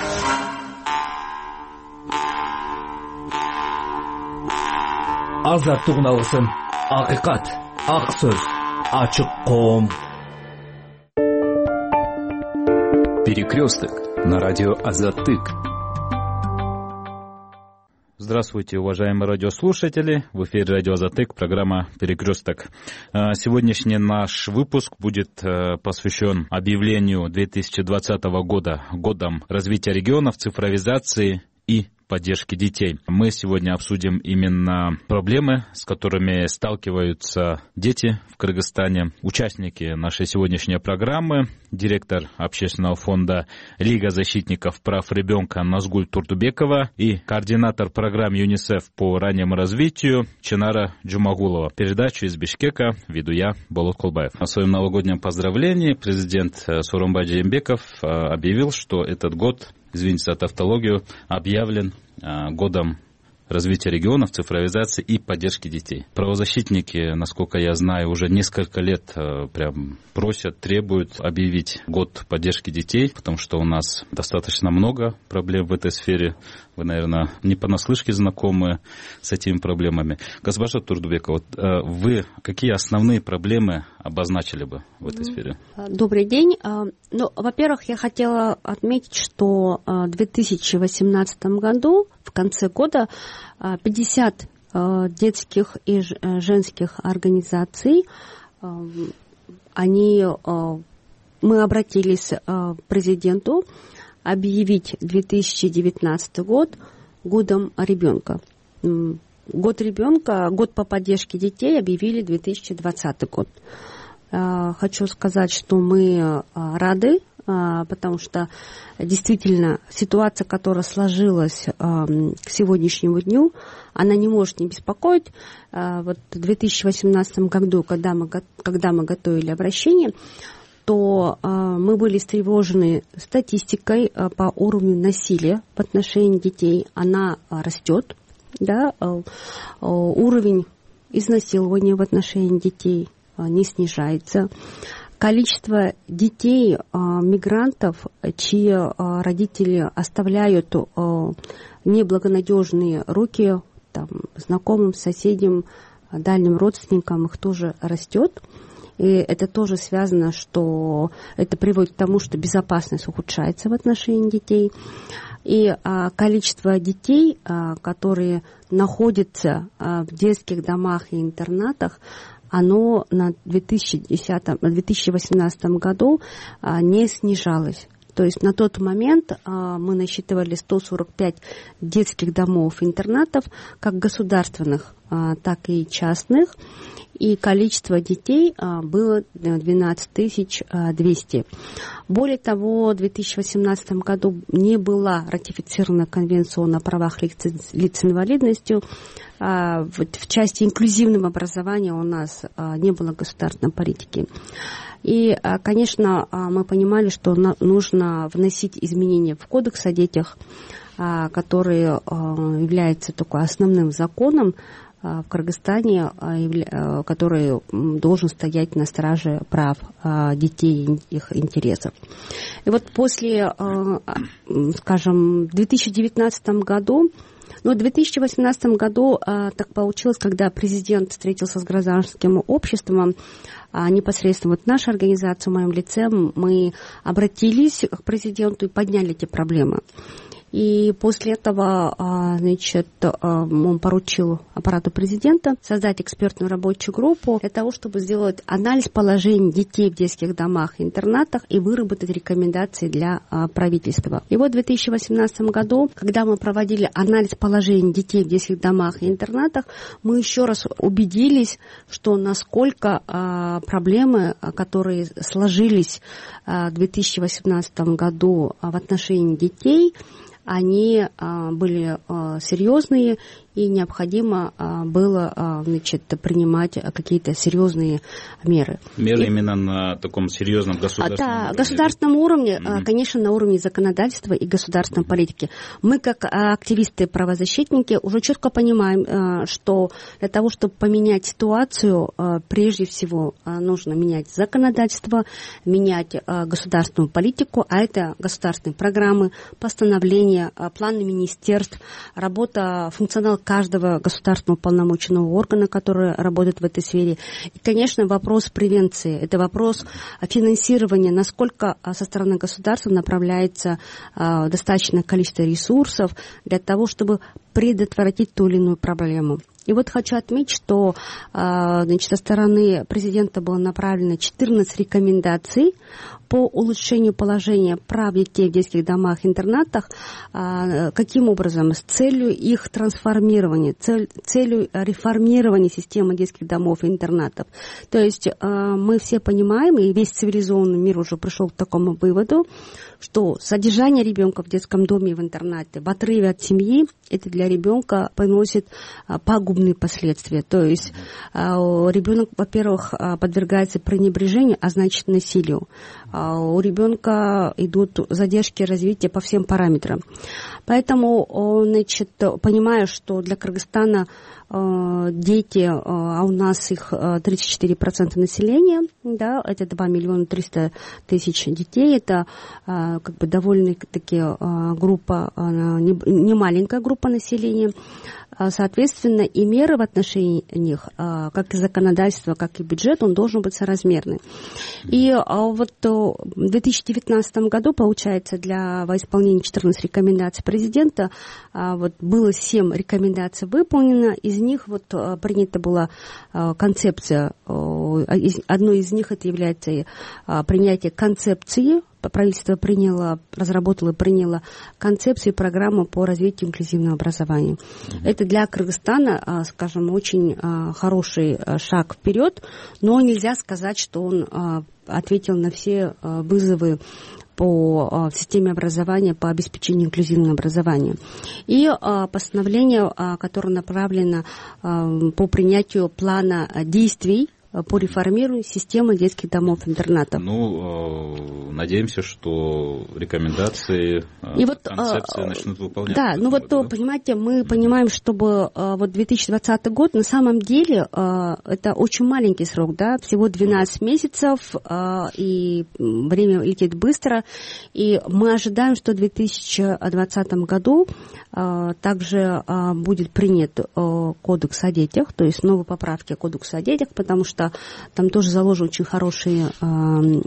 Азаттык уналысын. Акыйкат, ак сөз, ачык коом. Перекресток на радио Азаттык. Здравствуйте, уважаемые радиослушатели. В эфире радио Азаттык, программа «Перекресток». Сегодняшний наш выпуск будет посвящен объявлению две тысячи двадцатого года годом развития регионов, цифровизации и поддержки детей. Мы сегодня обсудим именно проблемы, с которыми сталкиваются дети в Кыргызстане. Участники нашей сегодняшней программы, директор общественного фонда «Лига защитников прав ребенка» Назгуль Турдубекова и координатор программ ЮНИСЕФ по раннему развитию Чынара Джумагулова. Передачу из Бишкека веду я, Болот Кулбаев. О своем новогоднем поздравлении президент Сооронбай Жээнбеков объявил, что этот год, извините за тавтологию, объявлен а, годом развития регионов, цифровизации и поддержки детей. Правозащитники, насколько я знаю, уже несколько лет а, прям просят, требуют объявить год поддержки детей, потому что у нас достаточно много проблем в этой сфере. Вы, наверное, не понаслышке знакомы с этими проблемами. Госпожа Турдубекова, вот, а, вы какие основные проблемы обозначили бы в этой сфере? Добрый день. Ну, во-первых, я хотела отметить, что в две тысячи восемнадцатом году, в конце года, пятьдесят детских и женских организаций, они, мы обратились к президенту объявить две тысячи девятнадцатый год годом ребенка. Год ребенка, год по поддержке детей объявили две тысячи двадцатый год. Хочу сказать, что мы рады, потому что действительно ситуация, которая сложилась к сегодняшнему дню, она не может не беспокоить. Вот в две тысячи восемнадцатом году, когда мы, когда мы готовили обращение, то мы были встревожены статистикой по уровню насилия в отношении детей. Она растет, да, уровень изнасилования в отношении детей не снижается. Количество детей, мигрантов, чьи родители оставляют неблагонадежные руки там, знакомым, соседям, дальним родственникам, их тоже растет. И это тоже связано, что это приводит к тому, что безопасность ухудшается в отношении детей. И а, количество детей, а, которые находятся а, в детских домах и интернатах, оно на две тысячи десятом, две тысячи восемнадцатом году а, не снижалось. То есть на тот момент а, мы насчитывали сто сорок пять детских домов и интернатов, как государственных, а, так и частных. И количество детей а, было двенадцать тысяч двести. Более того, в две тысячи восемнадцатом году не была ратифицирована Конвенция о правах лиц, лиц с инвалидностью. А, в, в части инклюзивного образования у нас а, не было государственной политики. И, а, конечно, а, мы понимали, что на, нужно вносить изменения в Кодекс о детях, а, который а, является такой основным законом в Кыргызстане, который должен стоять на страже прав детей и их интересов. И вот после, скажем, в две тысячи девятнадцатом году, ну, в две тысячи восемнадцатом году так получилось, когда президент встретился с гражданским обществом, непосредственно вот наша организация в моем лице, мы обратились к президенту и подняли эти проблемы. И после этого, значит, он поручил аппарату президента создать экспертную рабочую группу для того, чтобы сделать анализ положений детей в детских домах и интернатах и выработать рекомендации для правительства. И вот в две тысячи восемнадцатом году, когда мы проводили анализ положений детей в детских домах и интернатах, мы еще раз убедились, что насколько проблемы, которые сложились в две тысячи восемнадцатом году в отношении детей, они были серьезные, и необходимо было, значит, принимать какие-то серьезные меры. Меры и... именно на таком серьезном государственном да, уровне? государственном уровне, mm-hmm. конечно, на уровне законодательства и государственной политики. Мы, как активисты-правозащитники, уже четко понимаем, что для того, чтобы поменять ситуацию, прежде всего нужно менять законодательство, менять государственную политику, а это государственные программы, постановления, планы министерств, работа, функционал каждого государственного уполномоченного органа, который работает в этой сфере. И, конечно, вопрос превенции. Это вопрос финансирования, насколько со стороны государства направляется достаточное количество ресурсов для того, чтобы предотвратить ту или иную проблему. И вот хочу отметить, что, значит, со стороны президента было направлено четырнадцать рекомендаций по улучшению положения прав детей в детских домах и интернатах. Каким образом? С целью их трансформирования, цель, целью реформирования системы детских домов и интернатов. То есть мы все понимаем, и весь цивилизованный мир уже пришел к такому выводу, что содержание ребенка в детском доме и в интернате в отрыве от семьи, это для ребенка приносит пагубные последствия. То есть ребенок, во-первых, подвергается пренебрежению, а значит насилию. У ребенка идут задержки развития по всем параметрам. Поэтому, значит, понимая, что для Кыргызстана дети, а у нас их тридцать четыре процента населения, да, это два миллиона триста тысяч детей, это как бы довольно-таки группа, не маленькая группа населения. Соответственно, и меры в отношении них, как и законодательство, как и бюджет, он должен быть соразмерный. И вот в две тысячи девятнадцатом году, получается, для во исполнения четырнадцати рекомендаций президента, вот было семь рекомендаций выполнено, из них вот принята была концепция, одной из них это является принятие концепции. Правительство приняло, разработало и приняло концепцию и программу по развитию инклюзивного образования. Mm-hmm. Это для Кыргызстана, скажем, очень хороший шаг вперед, но нельзя сказать, что он ответил на все вызовы по системе образования, по обеспечению инклюзивного образования. И постановление, которое направлено по принятию плана действий по реформированию системы детских домов-интернатов. Ну, надеемся, что рекомендации, и вот, концепции а, начнут выполняться. Да, ну вот, да? Понимаете, мы mm-hmm. понимаем, чтобы вот две тысячи двадцатый год, на самом деле, это очень маленький срок, да, всего двенадцать mm-hmm. месяцев, и время летит быстро, и мы ожидаем, что в две тысячи двадцатом году также будет принят кодекс о детях, то есть новые поправки кодекса о детях, потому что там тоже заложены очень хорошие э,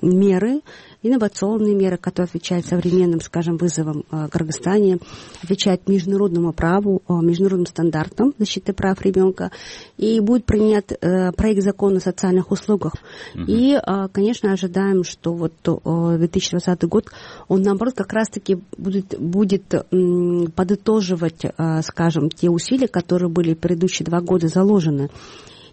меры, инновационные меры, которые отвечают современным, скажем, вызовам э, в Кыргызстане, отвечают международному праву, э, международным стандартам защиты прав ребенка. И будет принят э, проект закона о социальных услугах. Uh-huh. И, э, конечно, ожидаем, что вот э, две тысячи двадцатый год, он, наоборот, как раз-таки будет, будет э, подытоживать, э, скажем, те усилия, которые были в предыдущие два года заложены.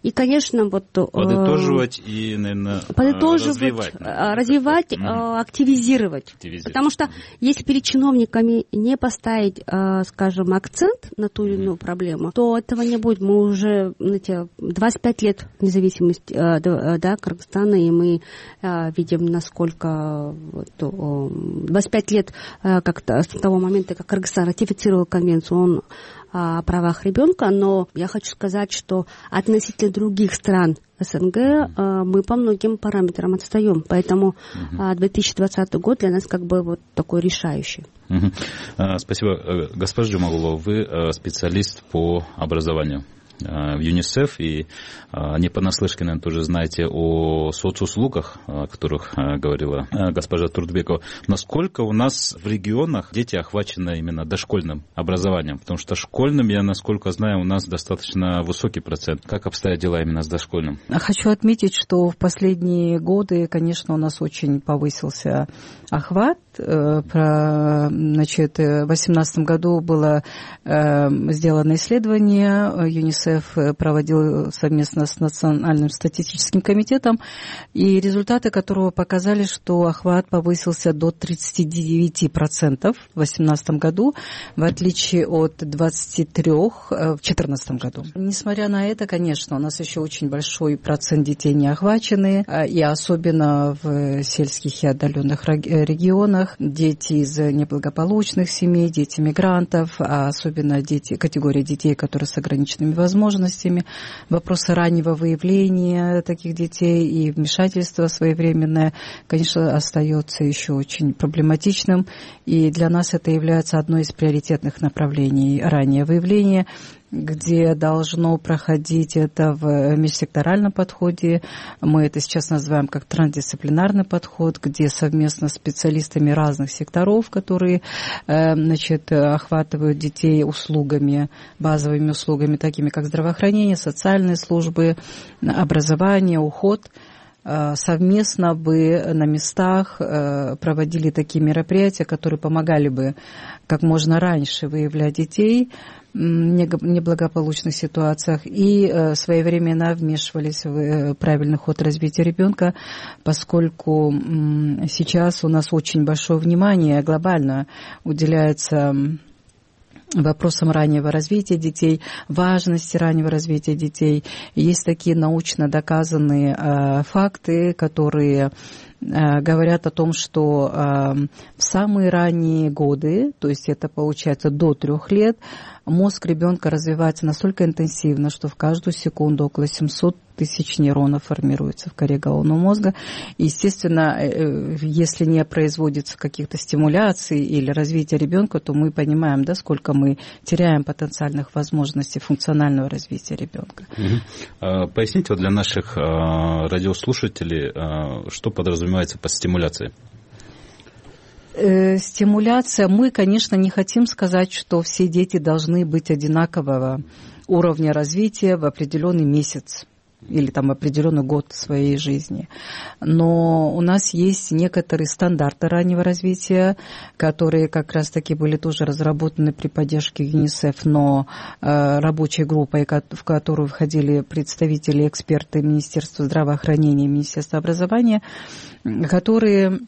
И, конечно, вот... Подытоживать и, наверное, подытоживать, развивать. Развивать, mm-hmm. активизировать. активизировать. Потому что если перед чиновниками не поставить, скажем, акцент на ту или иную mm-hmm. проблему, то этого не будет. Мы уже, знаете, двадцать пять лет независимости да, Кыргызстана, и мы видим, насколько... двадцать пять лет как-то с того момента, как Кыргызстан ратифицировал конвенцию, он о правах ребенка, но я хочу сказать, что относительно других стран СНГ mm-hmm. мы по многим параметрам отстаем, поэтому mm-hmm. две тысячи двадцатый год для нас как бы вот такой решающий. Mm-hmm. Спасибо. Госпожа Джумагулова, вы специалист по образованию. в ЮНИСЕФ, и не понаслышке, наверное, тоже знаете о соцуслугах, о которых говорила госпожа Турдбекова. Насколько у нас в регионах дети охвачены именно дошкольным образованием? Потому что школьным, я насколько знаю, у нас достаточно высокий процент. Как обстоят дела именно с дошкольным? Хочу отметить, что в последние годы, конечно, у нас очень повысился охват. Значит, в две тысячи восемнадцатом году было сделано исследование, ЮНИСЕФ проводил совместно с Национальным статистическим комитетом, и результаты которого показали, что охват повысился до тридцати девяти процентов в две тысячи восемнадцатом году, в отличие от двадцати трёх процентов в две тысячи четырнадцатом году. Несмотря на это, конечно, у нас еще очень большой процент детей не охвачены, и особенно в сельских и отдаленных регионах. Дети из неблагополучных семей, дети мигрантов, а особенно дети, категория детей, которые с ограниченными возможностями. Вопросы раннего выявления таких детей и вмешательства своевременное, конечно, остается еще очень проблематичным. И для нас это является одной из приоритетных направлений. Раннее выявление, где должно проходить это в межсекторальном подходе. Мы это сейчас называем как трансдисциплинарный подход, где совместно с специалистами разных секторов, которые, значит, охватывают детей услугами, базовыми услугами, такими как здравоохранение, социальные службы, образование, уход, совместно бы на местах проводили такие мероприятия, которые помогали бы как можно раньше выявлять детей в неблагополучных ситуациях и своевременно вмешивались в правильный ход развития ребенка, поскольку сейчас у нас очень большое внимание глобально уделяется вопросам раннего развития детей, важности раннего развития детей. Есть такие научно доказанные э, факты, которые э, говорят о том, что э, в самые ранние годы, то есть это получается до трех лет, мозг ребенка развивается настолько интенсивно, что в каждую секунду около семьсот тысяч нейронов формируется в коре головного мозга. И, естественно, если не производится каких-то стимуляций или развития ребенка, то мы понимаем, да, сколько мы теряем потенциальных возможностей функционального развития ребенка. Угу. Поясните вот для наших радиослушателей, что подразумевается под стимуляцией? Стимуляция. Мы, конечно, не хотим сказать, что все дети должны быть одинакового уровня развития в определенный месяц или там определенный год своей жизни. Но у нас есть некоторые стандарты раннего развития, которые как раз-таки были тоже разработаны при поддержке ЮНИСЕФ, но э, рабочей группой, в которую входили представители, эксперты Министерства здравоохранения и Министерства образования, которые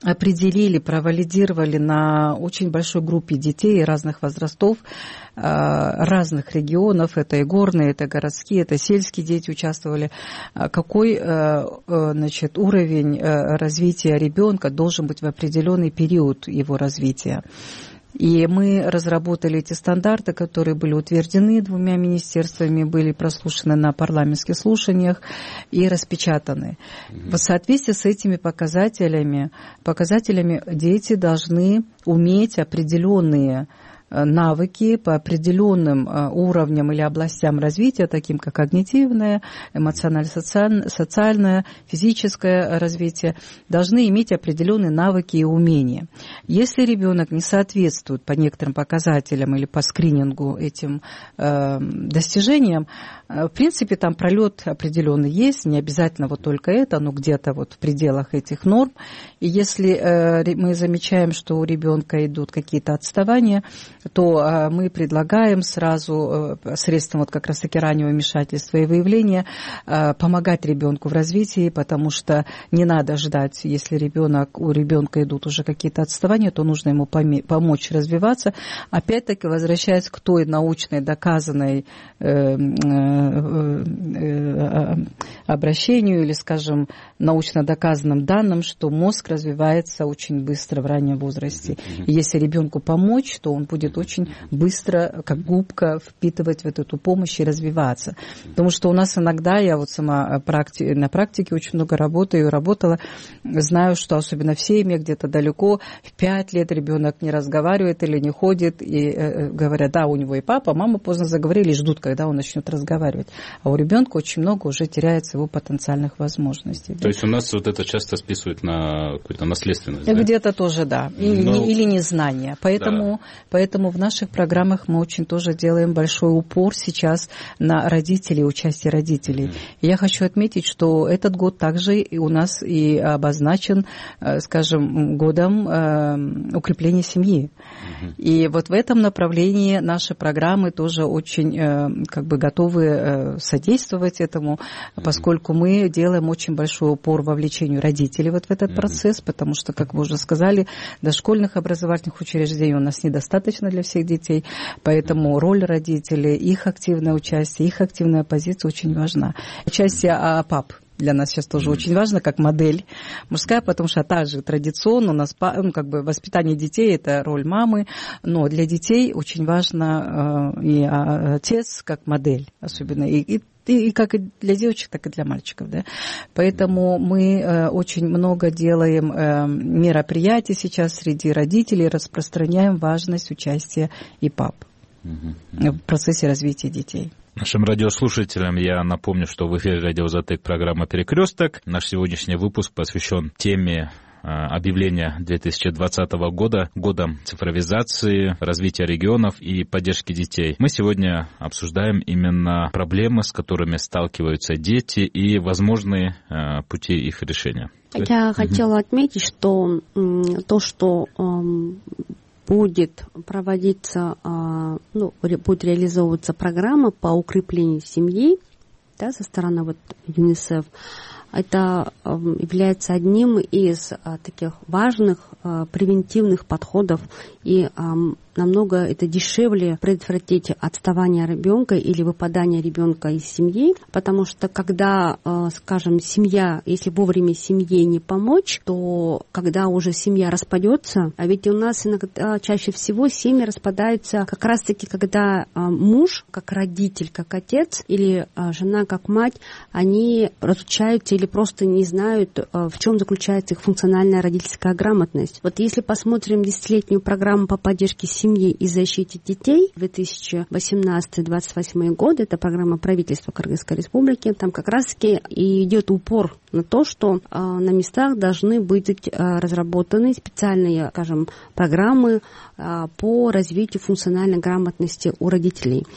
определили, провалидировали на очень большой группе детей разных возрастов, разных регионов, это и горные, это городские, это сельские дети участвовали, какой, значит, уровень развития ребенка должен быть в определенный период его развития. И мы разработали эти стандарты, которые были утверждены двумя министерствами, были прослушаны на парламентских слушаниях и распечатаны. В соответствии с этими показателями, показателями дети должны уметь определенные навыки по определенным уровням или областям развития, таким как когнитивное, эмоционально-социальное, физическое развитие, должны иметь определенные навыки и умения. Если ребенок не соответствует по некоторым показателям или по скринингу этим э, достижениям, в принципе, там пролет определенный есть, не обязательно вот только это, но где-то вот в пределах этих норм. И если э, мы замечаем, что у ребенка идут какие-то отставания, то э, мы предлагаем сразу э, средством вот как раз-таки раннего вмешательства и выявления э, помогать ребенку в развитии, потому что не надо ждать, если ребенок, у ребенка идут уже какие-то отставания, то нужно ему поме- помочь развиваться. Опять-таки, возвращаясь к той научной доказанной э, э, обращению или, скажем, научно доказанным данным, что мозг развивается очень быстро в раннем возрасте. И если ребенку помочь, то он будет будет очень быстро, как губка, впитывать вот эту помощь и развиваться. Потому что у нас иногда, я вот сама практи, на практике очень много работаю, работала, знаю, что особенно в семьях где-то далеко, в пять лет ребенок не разговаривает или не ходит, и э, говорят, да, у него и папа, мама поздно заговорили, и ждут, когда он начнет разговаривать. А у ребенка очень много уже теряется его потенциальных возможностей. То да? есть у нас вот это часто списывают на какую-то наследственность, да? Где-то тоже, да, или, Но... не, или незнание. Поэтому, да. поэтому в наших программах мы очень тоже делаем большой упор сейчас на родителей, участие родителей. Mm. И я хочу отметить, что этот год также и у нас и обозначен, скажем, годом э, укрепления семьи. Mm-hmm. И вот в этом направлении наши программы тоже очень э, как бы готовы э, содействовать этому, mm-hmm. поскольку мы делаем очень большой упор вовлечению родителей вот в этот mm-hmm. процесс, потому что, как вы уже сказали, дошкольных образовательных учреждений у нас недостаточно для всех детей, поэтому роль родителей, их активное участие, их активная позиция очень важна. Участие АПАП для нас сейчас тоже mm-hmm. очень важно, как модель мужская, потому что также традиционно у нас, ну, как бы воспитание детей – это роль мамы, но для детей очень важно э, и отец как модель, особенно, и, и И, и как и для девочек, так и для мальчиков. Да? Поэтому мы э, очень много делаем э, мероприятий сейчас среди родителей, распространяем важность участия ИПАП mm-hmm. в процессе развития детей. Нашим радиослушателям я напомню, что в эфире радио «Азатык» программа «Перекресток». Наш сегодняшний выпуск посвящен теме объявления две тысячи двадцатого года, годом цифровизации, развития регионов и поддержки детей. Мы сегодня обсуждаем именно проблемы, с которыми сталкиваются дети и возможные э, пути их решения. Я угу. хотела отметить, что м, то, что м, будет проводиться, а, ну, будет реализовываться программа по укреплению семьи, да, со стороны вот ЮНИСЕФ, это является одним из а, таких важных а, превентивных подходов, и а, намного это дешевле предотвратить отставание ребенка или выпадание ребенка из семьи, потому что когда, а, скажем, семья, если вовремя семье не помочь, то когда уже семья распадется, а ведь у нас иногда чаще всего семьи распадаются как раз-таки, когда а, муж, как родитель, как отец, или а, жена, как мать, они разучаются или просто не знают, в чем заключается их функциональная родительская грамотность. Вот если посмотрим десятилетнюю программу по поддержке семьи и защите детей две тысячи восемнадцатый — две тысячи двадцать восьмой годы, это программа правительства Кыргызской Республики, там как раз-таки и идет упор на то, что а, на местах должны быть а, разработаны специальные, скажем, программы а, по развитию функциональной грамотности у родителей.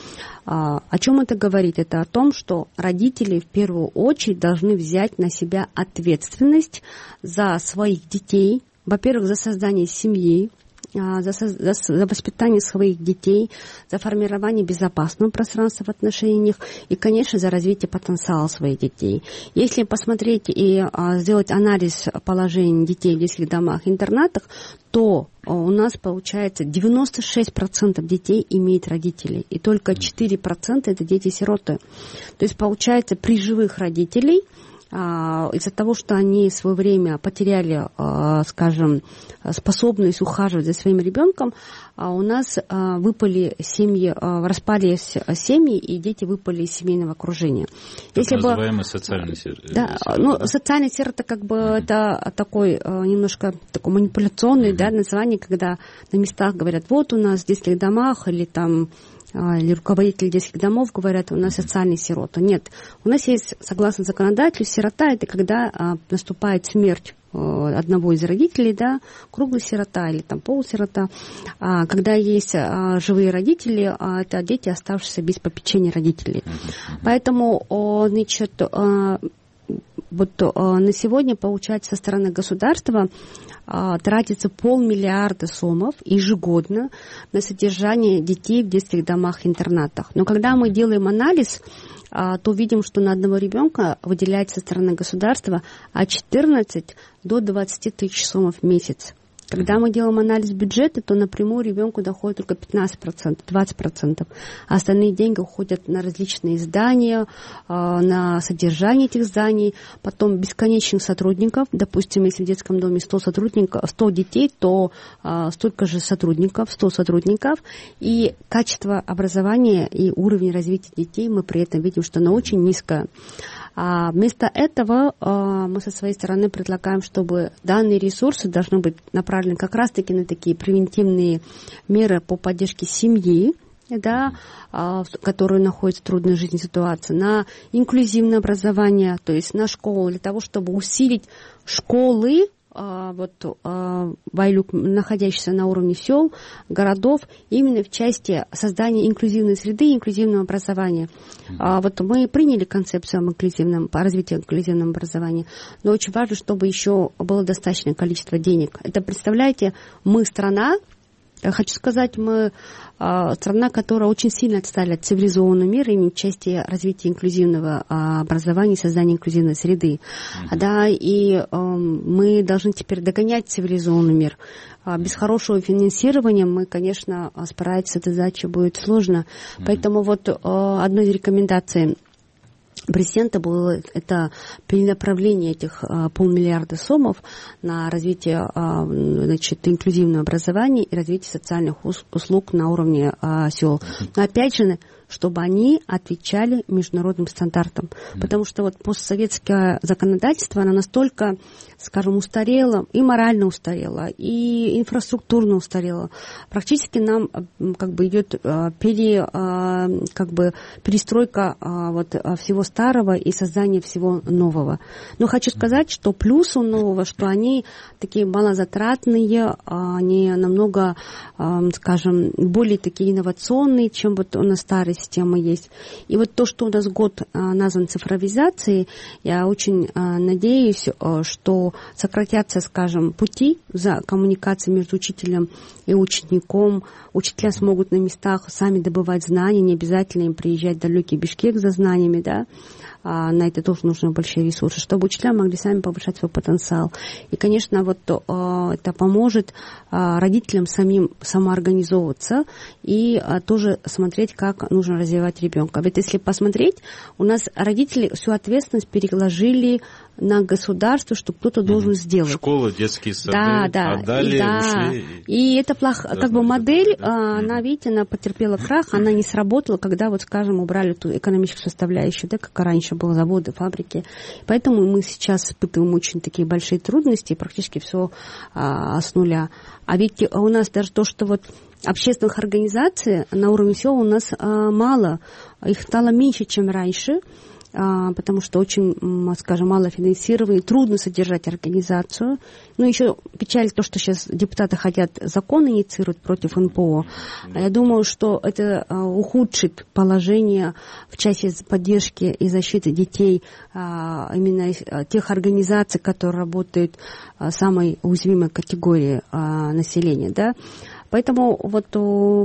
А, о чем это говорит? Это о том, что родители в первую очередь должны взять на себя ответственность за своих детей, во-первых, за создание семьи, За, за, за воспитание своих детей, за формирование безопасного пространства в отношениях и, конечно, за развитие потенциала своих детей. Если посмотреть и а, сделать анализ положения детей в детских домах и интернатах, то у нас получается девяносто шесть процентов детей имеют родителей, и только четыре процента это дети-сироты. То есть получается при живых родителей, из-за того, что они в свое время потеряли, скажем, способность ухаживать за своим ребенком, у нас выпали семьи, распались семьи, и дети выпали из семейного окружения. Так Если называемый бы, социальный сирота. Да, ну, социальный сирота, как бы, mm-hmm. это такой немножко такой манипуляционный, mm-hmm. да, название, когда на местах говорят, вот у нас в детских домах или там или руководители детских домов говорят, у нас социальный сирота. Нет, у нас есть, согласно законодательству, сирота – это когда а, наступает смерть а, одного из родителей, да, круглый сирота или там полусирота. А, когда есть а, живые родители, а, это дети, оставшиеся без попечения родителей. Поэтому, а, значит, а, вот а, на сегодня, получается, со стороны государства а, тратится полмиллиарда сомов ежегодно на содержание детей в детских домах-интернатах. Но когда мы делаем анализ, а, то видим, что на одного ребенка выделяется со стороны государства от четырнадцати до двадцати тысяч сомов в месяц. Когда мы делаем анализ бюджета, то напрямую ребенку доходит только пятнадцать процентов, двадцать процентов. А остальные деньги уходят на различные здания, на содержание этих зданий, потом бесконечных сотрудников. Допустим, если в детском доме сто сотрудников, сто детей, то столько же сотрудников, сто сотрудников. И качество образования и уровень развития детей мы при этом видим, что оно очень низкое. А вместо этого а, мы со своей стороны предлагаем, чтобы данные ресурсы должны быть направлены как раз-таки на такие превентивные меры по поддержке семьи, да, а, которые находятся в трудной жизненной ситуации, на инклюзивное образование, то есть на школу, для того, чтобы усилить школы, вот Вайлюк, находящийся на уровне сел, городов, именно в части создания инклюзивной среды и инклюзивного образования. Mm-hmm. Вот мы приняли концепцию об инклюзивном, по развитию инклюзивного образования, но очень важно, чтобы еще было достаточное количество денег. Это, представляете, мы страна, я хочу сказать, мы а, страна, которая очень сильно отстали от цивилизованного мира именно в части развития инклюзивного а, образования и создания инклюзивной среды. Mm-hmm. Да, и а, мы должны теперь догонять цивилизованный мир. А, без хорошего финансирования мы, конечно, справиться с этой задачей будет сложно. Mm-hmm. Поэтому вот а, одной из рекомендаций президента было это перенаправление этих а, полмиллиарда сомов на развитие а, значит, инклюзивного образования и развитие социальных услуг на уровне а, сел. Но опять же, чтобы они отвечали международным стандартам. Mm-hmm. Потому что вот постсоветское законодательство, оно настолько, скажем, устарело, и морально устарело, и инфраструктурно устарело. Практически нам как бы идет пере, как бы перестройка вот всего старого и создание всего нового. Но хочу сказать, что плюс у нового, что они такие малозатратные, они намного, скажем, более такие инновационные, чем вот у нас старые система есть. И вот то, что у нас год а, назван цифровизацией, я очень а, надеюсь, а, что сократятся, скажем, пути за коммуникацией между учителем и учеником. Учителя смогут на местах сами добывать знания, не обязательно им приезжать в далекий Бишкек за знаниями, да. А, на это тоже нужны большие ресурсы, чтобы учителя могли сами повышать свой потенциал. И, конечно, вот а, это поможет а, родителям самим самоорганизовываться и а, тоже смотреть, как нужно развивать ребенка. Ведь если посмотреть, у нас родители всю ответственность переложили на государство, что кто-то должен сделать. Школы, детские сады, да, да, отдали, и, да. ушли. И это плохо, как бы модель, да. Она, видите, она потерпела крах, она не сработала, когда, вот, скажем, убрали ту экономическую составляющую, да, как раньше было, заводы, фабрики. Поэтому мы сейчас испытываем очень такие большие трудности, практически все а, с нуля. А ведь у нас даже то, что вот общественных организаций на уровне сел у нас а, мало, их стало меньше, чем раньше, а, потому что очень, скажем, мало финансирования, трудно содержать организацию. Ну, еще печаль то, что сейчас депутаты хотят закон инициировать против эн пэ о. Я думаю, что это а, ухудшит положение в части поддержки и защиты детей, а, именно тех организаций, которые работают в самой уязвимой категории а, населения, да. Поэтому вот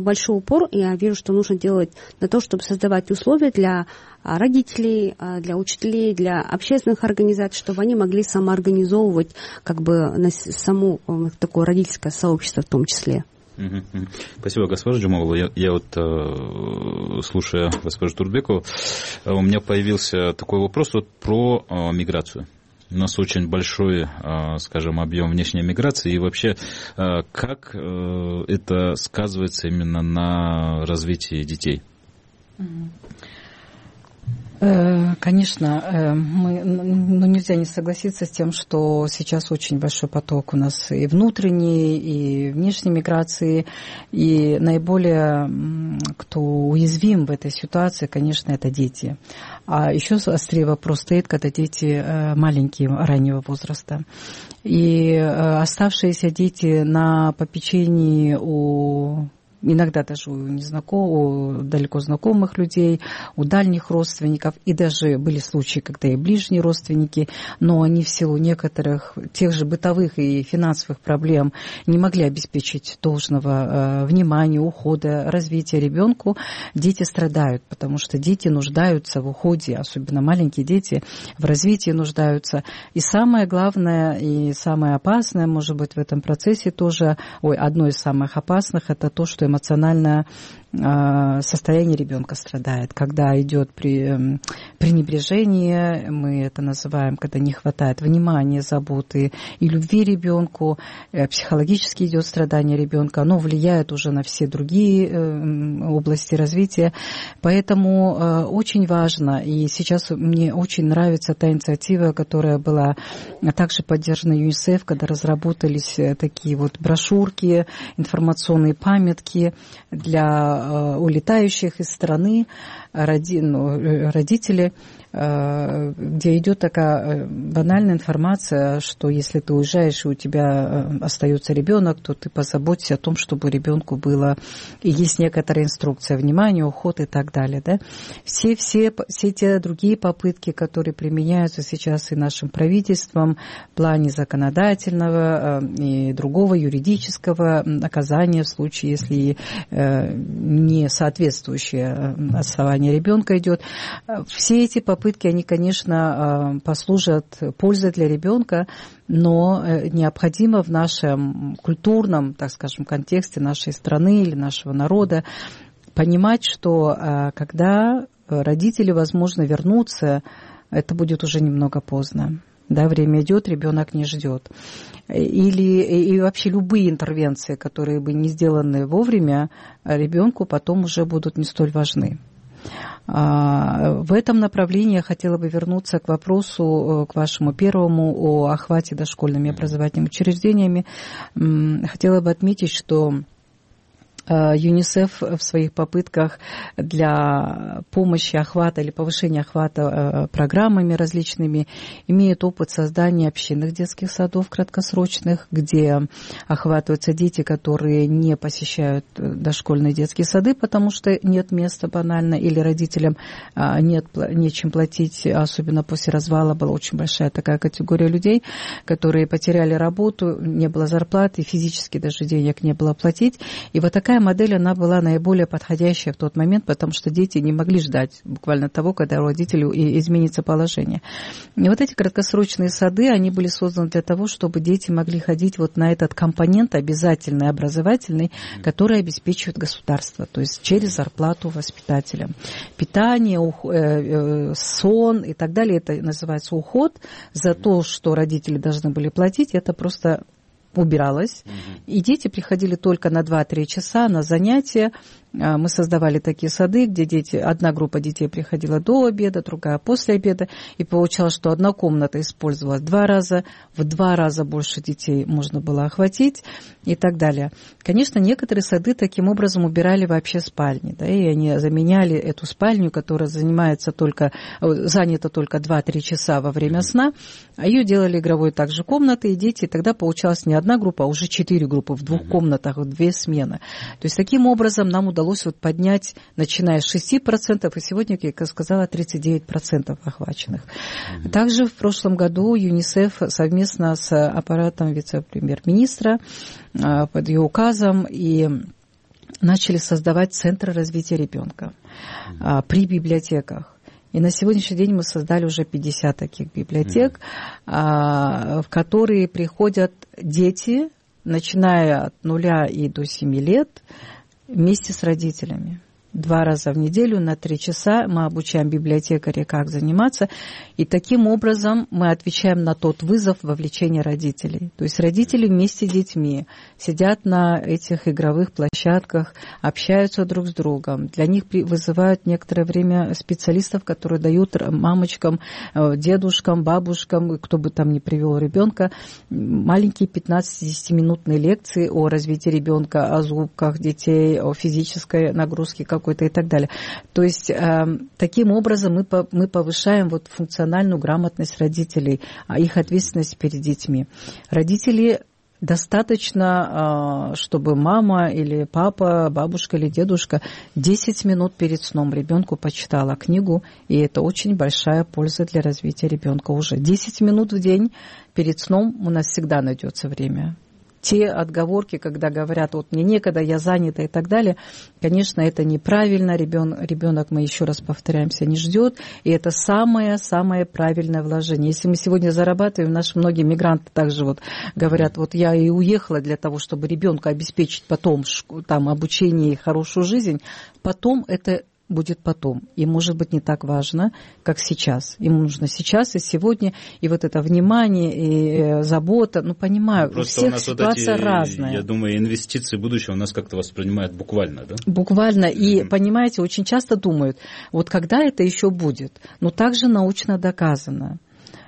большой упор, я вижу, что нужно делать на то, чтобы создавать условия для родителей, для учителей, для общественных организаций, чтобы они могли самоорганизовывать как бы само такое родительское сообщество в том числе. Спасибо, госпожа Джумалова. Я, я вот, э, слушая госпожу Турбекову, у меня появился такой вопрос вот про э, миграцию. У нас очень большой, скажем, объем внешней миграции. И вообще, как это сказывается именно на развитии детей? Конечно, мы, ну, нельзя не согласиться с тем, что сейчас очень большой поток у нас и внутренней, и внешней миграции, и наиболее, кто уязвим в этой ситуации, конечно, это дети. А еще острее вопрос стоит, когда дети маленькие, раннего возраста. И оставшиеся дети на попечении у иногда даже у незнакомых, у далеко знакомых людей, у дальних родственников, и даже были случаи, когда и ближние родственники, но они в силу некоторых тех же бытовых и финансовых проблем не могли обеспечить должного э, внимания, ухода, развития ребенку. Дети страдают, потому что дети нуждаются в уходе, особенно маленькие дети в развитии нуждаются. И самое главное и самое опасное, может быть, в этом процессе тоже, ой, одно из самых опасных, это то, что эмоциональное состояние ребенка страдает, когда идет при, пренебрежение, мы это называем, когда не хватает внимания, заботы и любви ребенку, психологически идет страдание ребенка, оно влияет уже на все другие области развития, поэтому очень важно, и сейчас мне очень нравится та инициатива, которая была также поддержана ЮНИСЕФ, когда разработались такие вот брошюрки, информационные памятки для улетающих из страны родители, где идет такая банальная информация, что если ты уезжаешь и у тебя остается ребенок, то ты позаботься о том, чтобы ребенку было, и есть некоторая инструкция, внимание, уход и так далее. Да? Все, все, все те другие попытки, которые применяются сейчас и нашим правительством в плане законодательного и другого юридического наказания в случае, если не соответствующее отставание ребенка идет, все эти попытки Попытки, они, конечно, послужат пользой для ребенка, но необходимо в нашем культурном, так скажем, контексте нашей страны или нашего народа понимать, что когда родители, возможно, вернутся, это будет уже немного поздно. Да, время идет, ребенок не ждет. Или и вообще любые интервенции, которые бы не сделаны вовремя, ребенку потом уже будут не столь важны. В этом направлении я хотела бы вернуться к вопросу, к вашему первому, о охвате дошкольными образовательными учреждениями. Хотела бы отметить, что ЮНИСЕФ в своих попытках для помощи охвата или повышения охвата программами различными имеет опыт создания общинных детских садов краткосрочных, где охватываются дети, которые не посещают дошкольные детские сады, потому что нет места банально, или родителям нет, нечем платить, особенно после развала была очень большая такая категория людей, которые потеряли работу, не было зарплаты, физически даже денег не было платить. И вот такая модель, она была наиболее подходящая в тот момент, потому что дети не могли ждать буквально того, когда у родителей изменится положение. И вот эти краткосрочные сады, они были созданы для того, чтобы дети могли ходить вот на этот компонент обязательный, образовательный, который обеспечивает государство, то есть через зарплату воспитателям. Питание, сон и так далее, это называется уход. За то, что родители должны были платить, это просто убиралось, mm-hmm. и дети приходили только на два-три часа на занятия. Мы создавали такие сады, где дети, одна группа детей приходила до обеда, другая после обеда, и получалось, что одна комната использовалась два раза, в два раза больше детей можно было охватить и так далее. Конечно, некоторые сады таким образом убирали вообще спальни, да, и они заменяли эту спальню, которая занимается только, занята только два-три часа во время сна, а ее делали игровой также комнатой, и дети, и тогда получалось не одна группа, а уже четыре группы в двух комнатах, в две смены. То есть таким образом нам удалось удалось вот поднять, начиная с шести процентов, и сегодня, как я сказала, тридцать девять процентов охваченных. Mm-hmm. Также в прошлом году ЮНИСЕФ совместно с аппаратом вице-премьер-министра под ее указом и начали создавать центры развития ребенка mm-hmm. при библиотеках. И на сегодняшний день мы создали уже пятьдесят таких библиотек, mm-hmm. в которые приходят дети, начиная от нуля и до семи лет, вместе с родителями. Два раза в неделю на три часа мы обучаем библиотекаря, как заниматься, и таким образом мы отвечаем на тот вызов вовлечения родителей. То есть родители вместе с детьми сидят на этих игровых площадках, общаются друг с другом. Для них вызывают некоторое время специалистов, которые дают мамочкам, дедушкам, бабушкам, кто бы там ни привел ребенка, маленькие пятнадцати-десятиминутные лекции о развитии ребенка, о зубках детей, о физической нагрузке, как какой-то и так далее. То есть э, таким образом мы, по, мы повышаем вот функциональную грамотность родителей, их ответственность перед детьми. Родители Достаточно, чтобы мама или папа, бабушка или дедушка десять минут перед сном ребенку почитала книгу, и это очень большая польза для развития ребенка уже. десять минут в день перед сном у нас всегда найдется время. Те отговорки, когда говорят, вот мне некогда, я занята и так далее, конечно, это неправильно. Ребен, ребенок, мы еще раз повторяемся, не ждет. И это самое-самое правильное вложение. Если мы сегодня зарабатываем, наши многие мигранты также вот говорят, вот я и уехала для того, чтобы ребенку обеспечить потом там, обучение и хорошую жизнь, потом это будет потом. И может быть не так важно, как сейчас. Ему нужно сейчас и сегодня, и вот это внимание, и забота. Ну, понимаю, просто у всех у нас ситуация вот эти, разная. Я думаю, инвестиции будущего у нас как-то воспринимают буквально, да? Буквально. И, mm-hmm. понимаете, очень часто думают, вот когда это еще будет? Но также научно доказано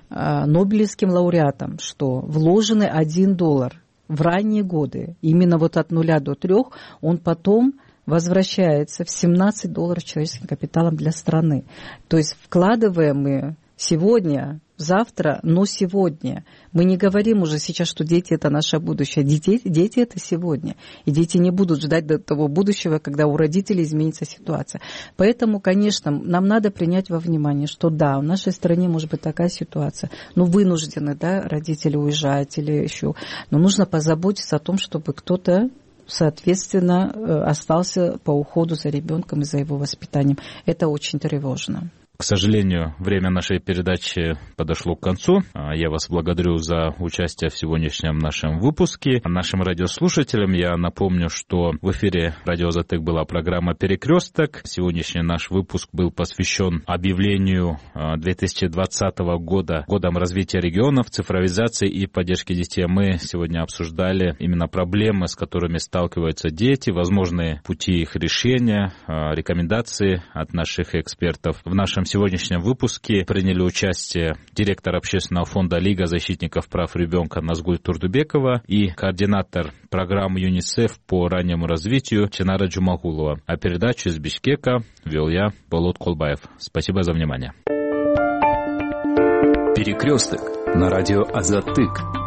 нобелевским лауреатам, что вложенный один доллар в ранние годы, именно вот от нуля до трех, он потом возвращается в семнадцать долларов человеческим капиталом для страны. То есть вкладываем мы сегодня, завтра, но сегодня. Мы не говорим уже сейчас, что дети – это наше будущее. Дети, дети – это сегодня. И дети не будут ждать до того будущего, когда у родителей изменится ситуация. Поэтому, конечно, нам надо принять во внимание, что да, в нашей стране может быть такая ситуация. Ну, вынуждены, да, родители уезжать или еще. Но нужно позаботиться о том, чтобы кто-то соответственно, остался по уходу за ребенком и за его воспитанием. Это очень тревожно. К сожалению, время нашей передачи подошло к концу. Я вас благодарю за участие в сегодняшнем нашем выпуске. Нашим радиослушателям я напомню, что в эфире радио Азатык была программа «Перекресток». Сегодняшний наш выпуск был посвящен объявлению две тысячи двадцатого года годом развития регионов, цифровизации и поддержки детей. Мы сегодня обсуждали именно проблемы, с которыми сталкиваются дети, возможные пути их решения, рекомендации от наших экспертов. В нашем В сегодняшнем выпуске приняли участие директор общественного фонда «Лига защитников прав ребенка» Назгуль Турдубекова и координатор программы ЮНИСЕФ по раннему развитию Ченара Джумагулова. А передачу из Бишкека вел я, Болот Колбаев. Спасибо за внимание. Перекресток на радио Азатык.